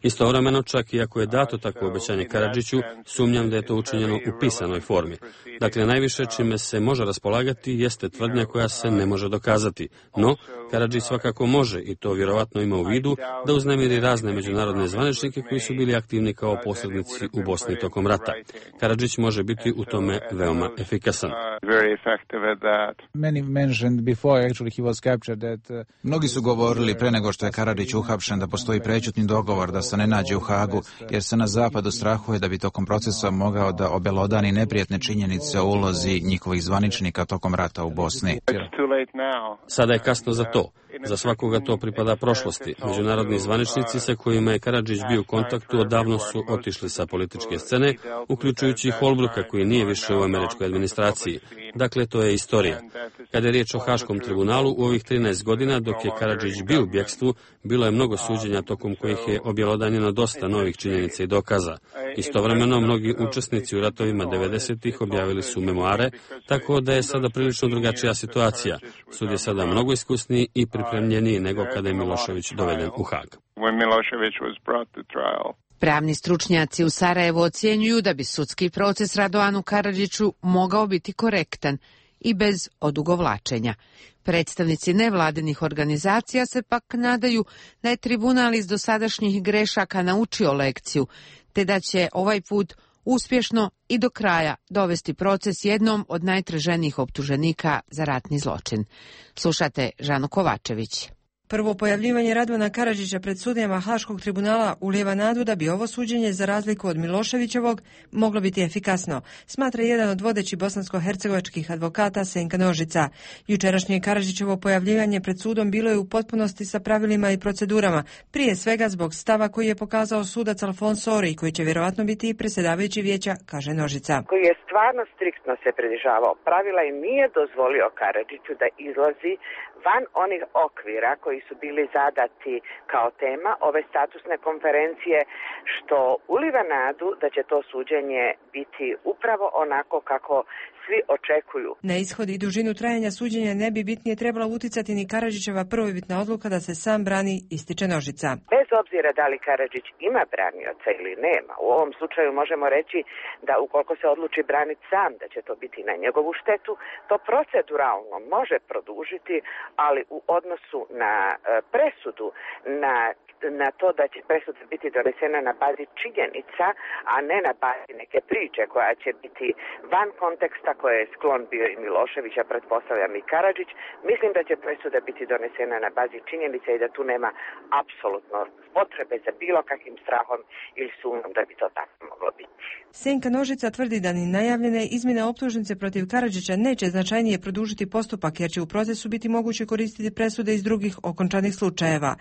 Istovremeno, čak i ako je dato takvo obećanje Karadžiću, sumnjam da je to učinjeno u pisanoj formi. Dakle, najviše čime se može raspolagati jeste tvrdnja koja se ne može dokazati. No, Karadžić svakako može, i to vjerovatno ima u vidu, da uznemiri razne međunarodne zvaničnike koji su bili aktivni kao posrednici u Bosni tokom rata. Karadžić može biti u tome veoma efikasan. Mnogi su govorili pre nego što je Karadžić uhapšen da postoji prećutni dogovor da se ne nađe u Hagu, jer se na zapadu strahuje da bi tokom procesa mogao da obelodani neprijatne činjenice o ulozi njihovih zvaničnika tokom rata u Bosni. Sada je kasno za to. Za svakoga to pripada prošlosti. Međunarodni zvaničnici sa kojima je Karadžić bio u kontaktu odavno su otišli sa političke scene, uključujući i Holbrooka koji nije više u američkoj administraciji. Dakle, to je istorija. Kada je riječ o Haškom tribunalu, u ovih 13 godina dok je Karadžić bio u bjekstvu, bilo je mnogo suđenja tokom kojih je objelodanjeno dosta novih činjenica i dokaza. Istovremeno, mnogi učesnici u ratovima 90-ih objavili su memoare, tako da je sada prilično drugačija situacija. Sud je sada mnogo iskusniji i pripremljeniji nego kada je Milošević doveden u Hag. Pravni stručnjaci u Sarajevu ocjenjuju da bi sudski proces Radovanu Karadžiću mogao biti korektan i bez odugovlačenja. Predstavnici nevladinih organizacija se pak nadaju da je tribunal iz dosadašnjih grešaka naučio lekciju, te da će ovaj put uspješno i do kraja dovesti proces jednom od najtraženijih optuženika za ratni zločin. Slušate Žanu Kovačević. Prvo pojavljivanje Radovana Karadžića pred sudijama Haškog tribunala ulijeva nadu da bi ovo suđenje, za razliku od Miloševićevog, moglo biti efikasno, smatra jedan od vodećih bosansko-hercegovačkih advokata Senka Nožica. Jučerašnje Karadžićevo pojavljivanje pred sudom bilo je u potpunosti sa pravilima i procedurama, prije svega zbog stava koji je pokazao sudac Alfonso Ori, koji će vjerovatno biti i predsjedavajući vijeća, kaže Nožica. Koji je stvarno striktno se pridržavao pravila i nije dozvolio Karadžiću da izlazi van onih okvira koji su bili zadati kao tema ove statusne konferencije, što uliva nadu da će to suđenje biti upravo onako kako svi očekuju. Na ishod i dužinu trajanja suđenja ne bi bitnije trebala uticati ni Karadžićeva prvobitna odluka da se sam brani, ističe Nožica. Bez obzira da li Karadžić ima branioca ili nema, u ovom slučaju možemo reći da ukoliko se odluči braniti sam, da će to biti na njegovu štetu, to proceduralno može produžiti, ali u odnosu na presudu, na to da će presuda biti donesena na bazi činjenica, a ne na bazi neke priče koja će biti van konteksta koje je sklon bio i Milošević, a pretpostavljam i Karadžić, mislim da će presuda biti donesena na bazi činjenica i da tu nema apsolutno potrebe za bilo kakvim strahom ili sumnjom da bi to tako moglo biti. Senka Nožica tvrdi da ni najavljene izmjene optužnice protiv Karadžića neće značajnije produžiti postupak, jer će u procesu biti moguće koristiti presude iz drugih okončanih slučajeva.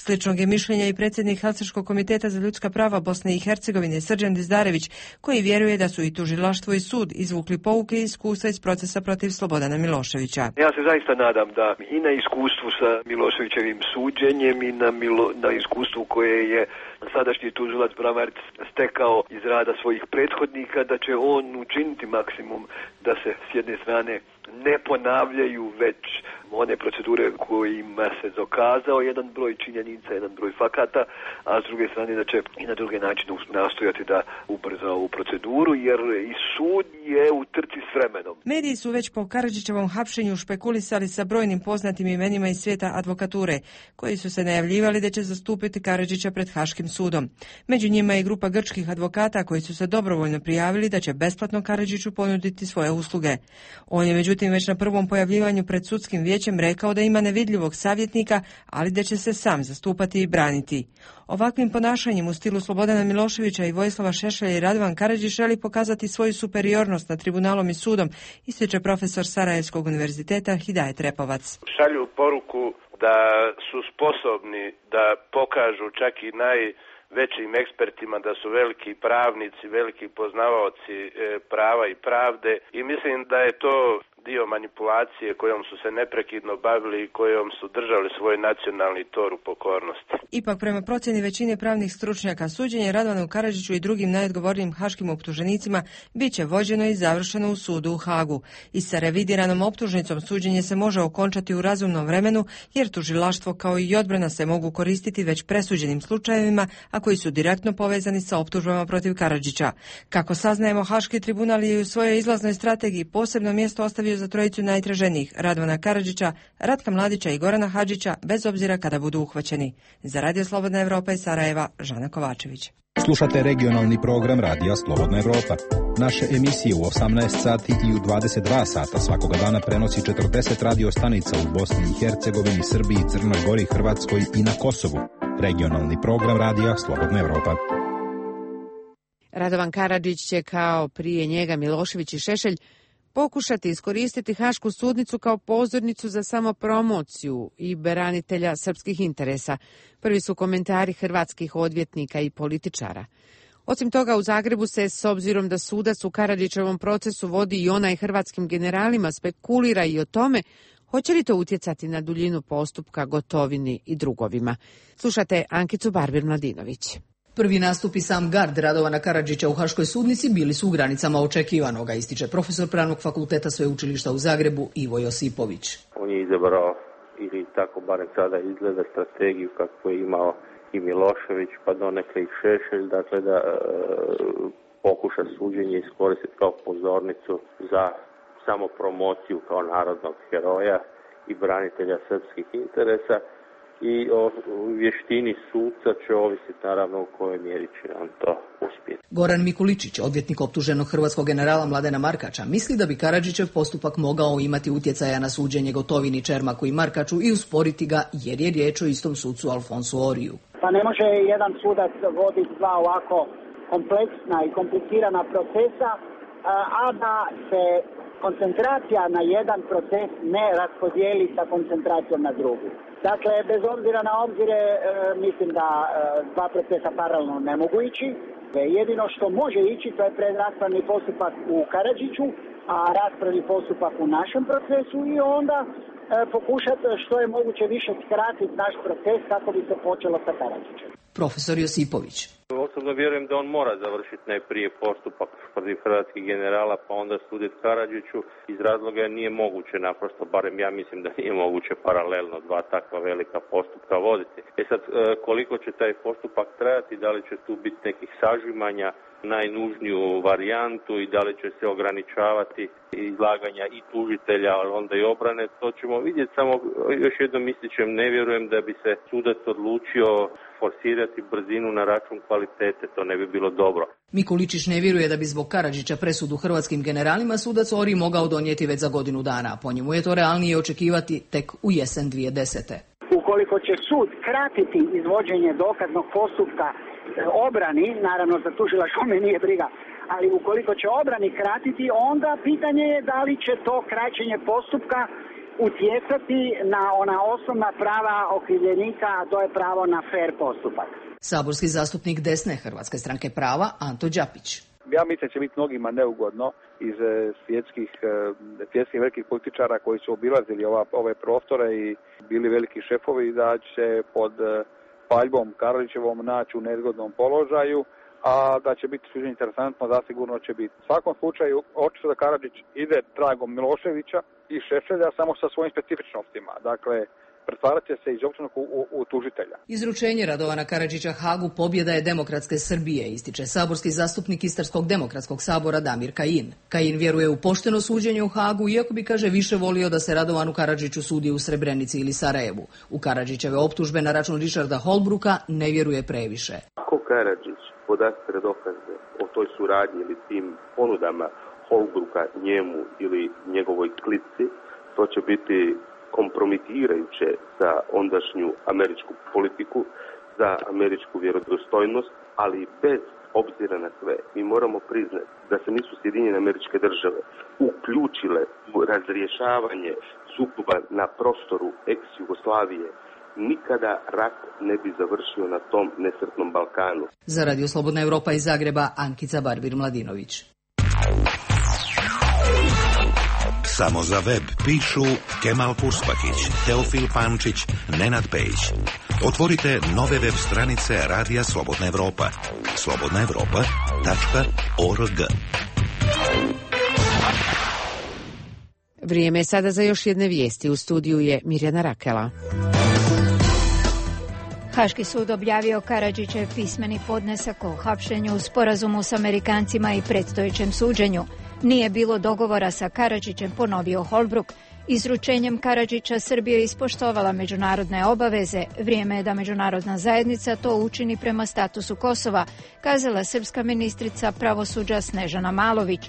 Sličnog je mišljenja i predsjednik Helsinškog komiteta za ljudska prava Bosne i Hercegovine Srđan Dizdarević, koji vjeruje da su i tužilaštvo i sud izvukli pouke i iskustva iz procesa protiv Slobodana Miloševića. Ja se zaista nadam da i na iskustvu sa Miloševićevim suđenjem i na iskustvu koje je sadašnji tužilac Bramarić stekao iz rada svojih prethodnika, da će on učiniti maksimum da se s jedne strane ne ponavljaju već one procedure kojima se dokazao jedan broj činjenica, jedan broj fakata, a s druge strane da će i na druge načine nastojati da ubrza ovu proceduru, jer i sud je u trci s vremenom. Mediji su već po Karadžićevom hapšenju špekulisali sa brojnim poznatim imenima iz svijeta advokature, koji su se najavljivali da će zastupiti Karadžića pred Haškim sudom. Među njima je i grupa grčkih advokata koji su se dobrovoljno prijavili da će besplatno Karadžiću ponuditi svoje usluge. On je međutim već na prvom pojavljivanju pred sudskim vijećem rekao da ima nevidljivog savjetnika, ali da će se sam zastupati i braniti. Ovakvim ponašanjem u stilu Slobodana Miloševića i Vojislava Šešelja i Radovan Karadžić želi pokazati svoju superiornost nad tribunalom i sudom, ističe profesor Sarajevskog univerziteta Hidajet Repovac. Šalju poruku da su sposobni da pokažu čak i najvećim ekspertima da su veliki pravnici, veliki poznavaoci prava i pravde, i mislim da je to dio manipulacije kojom su se neprekidno bavili i kojom su držali svoj nacionalni tor u pokornosti. Ipak, prema procjeni većine pravnih stručnjaka, suđenje Radovanu Karadžiću i drugim najodgovornijim haškim optuženicima bit će vođeno i završeno u sudu u Hagu. I sa revidiranom optužnicom suđenje se može okončati u razumnom vremenu, jer tužilaštvo kao i odbrana se mogu koristiti već presuđenim slučajevima, a koji su direktno povezani sa optužbama protiv Karadžića. Kako saznajemo, Haški tribunal je u svojoj izlaznoj strategiji posebno mjesto ostavio za trojicu najtraženijih, Radovana Karadžića, Ratka Mladića i Gorana Hadžića, bez obzira kada budu uhvaćeni. Za Radio Slobodna Evropa iz Sarajeva, Žana Kovačević. Slušate regionalni program Radija Slobodna Evropa. Naše emisije u 18 sati i u 22 sata svakoga dana prenosi 40 radio stanica u Bosni i Hercegovini, Srbiji, Crnoj Gori, Hrvatskoj i na Kosovu. Regionalni program Radija Slobodna Evropa. Radovan Karadžić će, kao prije njega Milošević i Šešelj, pokušati iskoristiti Hašku sudnicu kao pozornicu za samopromociju i branitelja srpskih interesa. Prvi su komentari hrvatskih odvjetnika i političara. Osim toga, u Zagrebu se, s obzirom da sudac u Karadžićevom procesu vodi i onaj hrvatskim generalima, spekulira i o tome hoće li to utjecati na duljinu postupka Gotovini i drugovima. Slušate Ankicu Barbir-Mladinović. Prvi nastup i sam gard Radovana Karadžića u Haškoj sudnici bili su u granicama očekivanoga, ističe profesor Pravnog fakulteta Sveučilišta u Zagrebu Ivo Josipović. On je izabrao, ili tako barem sada izgleda, strategiju kakvu je imao i Milošević, pa donekle i Šešelj, dakle da pokuša suđenje iskoristiti kao pozornicu za samopromociju kao narodnog heroja i branitelja srpskih interesa. I o vještini suca će ovisiti naravno u kojoj mjeri će on to uspjeti. Goran Mikuličić, odvjetnik optuženog hrvatskog generala Mladena Markača, misli da bi Karadžićev postupak mogao imati utjecaja na suđenje Gotovini, Čermaku i Markaču i usporiti ga jer je riječ o istom sucu Alfonsu Oriju. Pa ne može jedan sudac voditi dva ovako kompleksna i komplicirana procesa, a da se koncentracija na jedan proces ne raspodijeli sa koncentracijom na drugi. Dakle, bez obzira na obzire, mislim da dva procesa paralelno ne mogu ići. Jedino što može ići, to je predraspravni postupak u Karadžiću, a raspravni postupak u našem procesu i onda pokušati što je moguće više skratiti naš proces kako bi se počelo sa Karadžićem. Profesor Josipović. Osobno vjerujem da on mora završiti najprije postupak protiv hrvatskih generala, pa onda suditi Karadžiću iz razloga jer nije moguće naprosto, barem ja mislim da nije moguće paralelno dva takva velika postupka voditi. Sad, koliko će taj postupak trajati, da li će tu biti nekih sažimanja, najnužniju varijantu i da li će se ograničavati izlaganja i tužitelja, ali onda i obrane, to ćemo vidjeti. Samo još jednom ističem, ne vjerujem da bi se sudac odlučio forsirati brzinu na račun kvalitete, to ne bi bilo dobro. Mikuličić ne vjeruje da bi zbog Karadžića presudu hrvatskim generalima sudac Ori mogao donijeti već za godinu dana. Po njemu je to realnije očekivati tek u jesen 2010. Ukoliko će sud kratiti izvođenje dokaznog postupka obrani, naravno za tužilaštvo me nije briga, ali ukoliko će obrani kratiti, onda pitanje je da li će to kraćenje postupka utjecati na ona osnovna prava okrivljenika, a to je pravo na fer postupak. Saborski zastupnik desne Hrvatske stranke prava Anto Đapić. Ja mislim da će biti mnogima neugodno iz svjetskih velikih političara koji su obilazili ove prostore i bili veliki šefovi, da će pod paljbom Karadžićevom naći u nezgodnom položaju, a da će biti suđenje interesantno, zasigurno će biti. U svakom slučaju, očito da Karadžić ide tragom Miloševića i Šešelja samo sa svojim specifičnostima. Dakle, pretvarat će se iz optuženog u tužitelja. Izručenje Radovana Karadžića Hagu pobjeda je demokratske Srbije, ističe saborski zastupnik Istarskog demokratskog sabora Damir Kajin. Kajin vjeruje u pošteno suđenje u Hagu, iako bi, kaže, više volio da se Radovanu Karadžiću sudi u Srebrenici ili Sarajevu. U Karadžićeve optužbe na račun Richarda Holbrooka ne vjeruje previše. Ako Karadžić podastre dokaze o toj suradnji ili tim ponudama Holbrooka njemu ili njegovoj klici, to će biti kompromitirajuće za ondašnju američku politiku, za američku vjerodostojnost, ali bez obzira na sve, mi moramo priznati da se nisu Sjedinjene Američke Države uključile u razrješavanje sukoba na prostoru ex-Jugoslavije, nikada rat ne bi završio na tom nesretnom Balkanu. Za Radio Slobodna Evropa iz Zagreba, Ankica Barbir-Mladinović. Samo za web pišu Kemal Purspakić, Teofil Pančić, Nenad Pejić. Otvorite nove web stranice Radija Slobodna Evropa. slobodnaevropa.org. Vrijeme je sada za još jedne vijesti. U studiju je Mirjana Rakela. Haški sud objavio Karadžićev pismeni podnesak o hapšenju u sporazumu s Amerikancima i predstojećem suđenju. Nije bilo dogovora sa Karadžićem, ponovio Holbrook. Izručenjem Karadžića Srbija je ispoštovala međunarodne obaveze. Vrijeme je da međunarodna zajednica to učini prema statusu Kosova, kazala srpska ministrica pravosuđa Snežana Malović.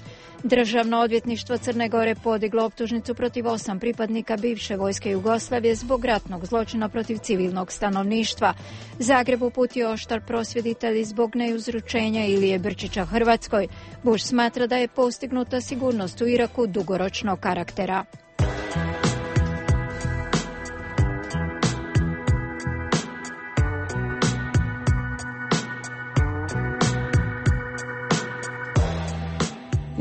Državno odvjetništvo Crne Gore podiglo optužnicu protiv 8 pripadnika bivše vojske Jugoslavije zbog ratnog zločina protiv civilnog stanovništva. Zagreb uputio oštar prosvjeditelji zbog neuzručenja Ilije Brčića Hrvatskoj. Bush smatra da je postignuta sigurnost u Iraku dugoročnog karaktera.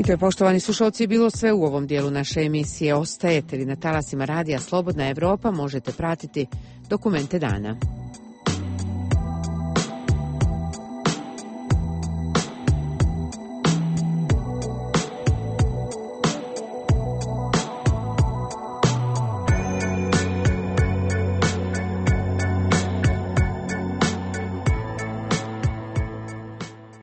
I to je, poštovani slušalci, bilo sve u ovom dijelu naše emisije. Ostajete li na talasima radija Slobodna Evropa, možete pratiti Dokumente dana.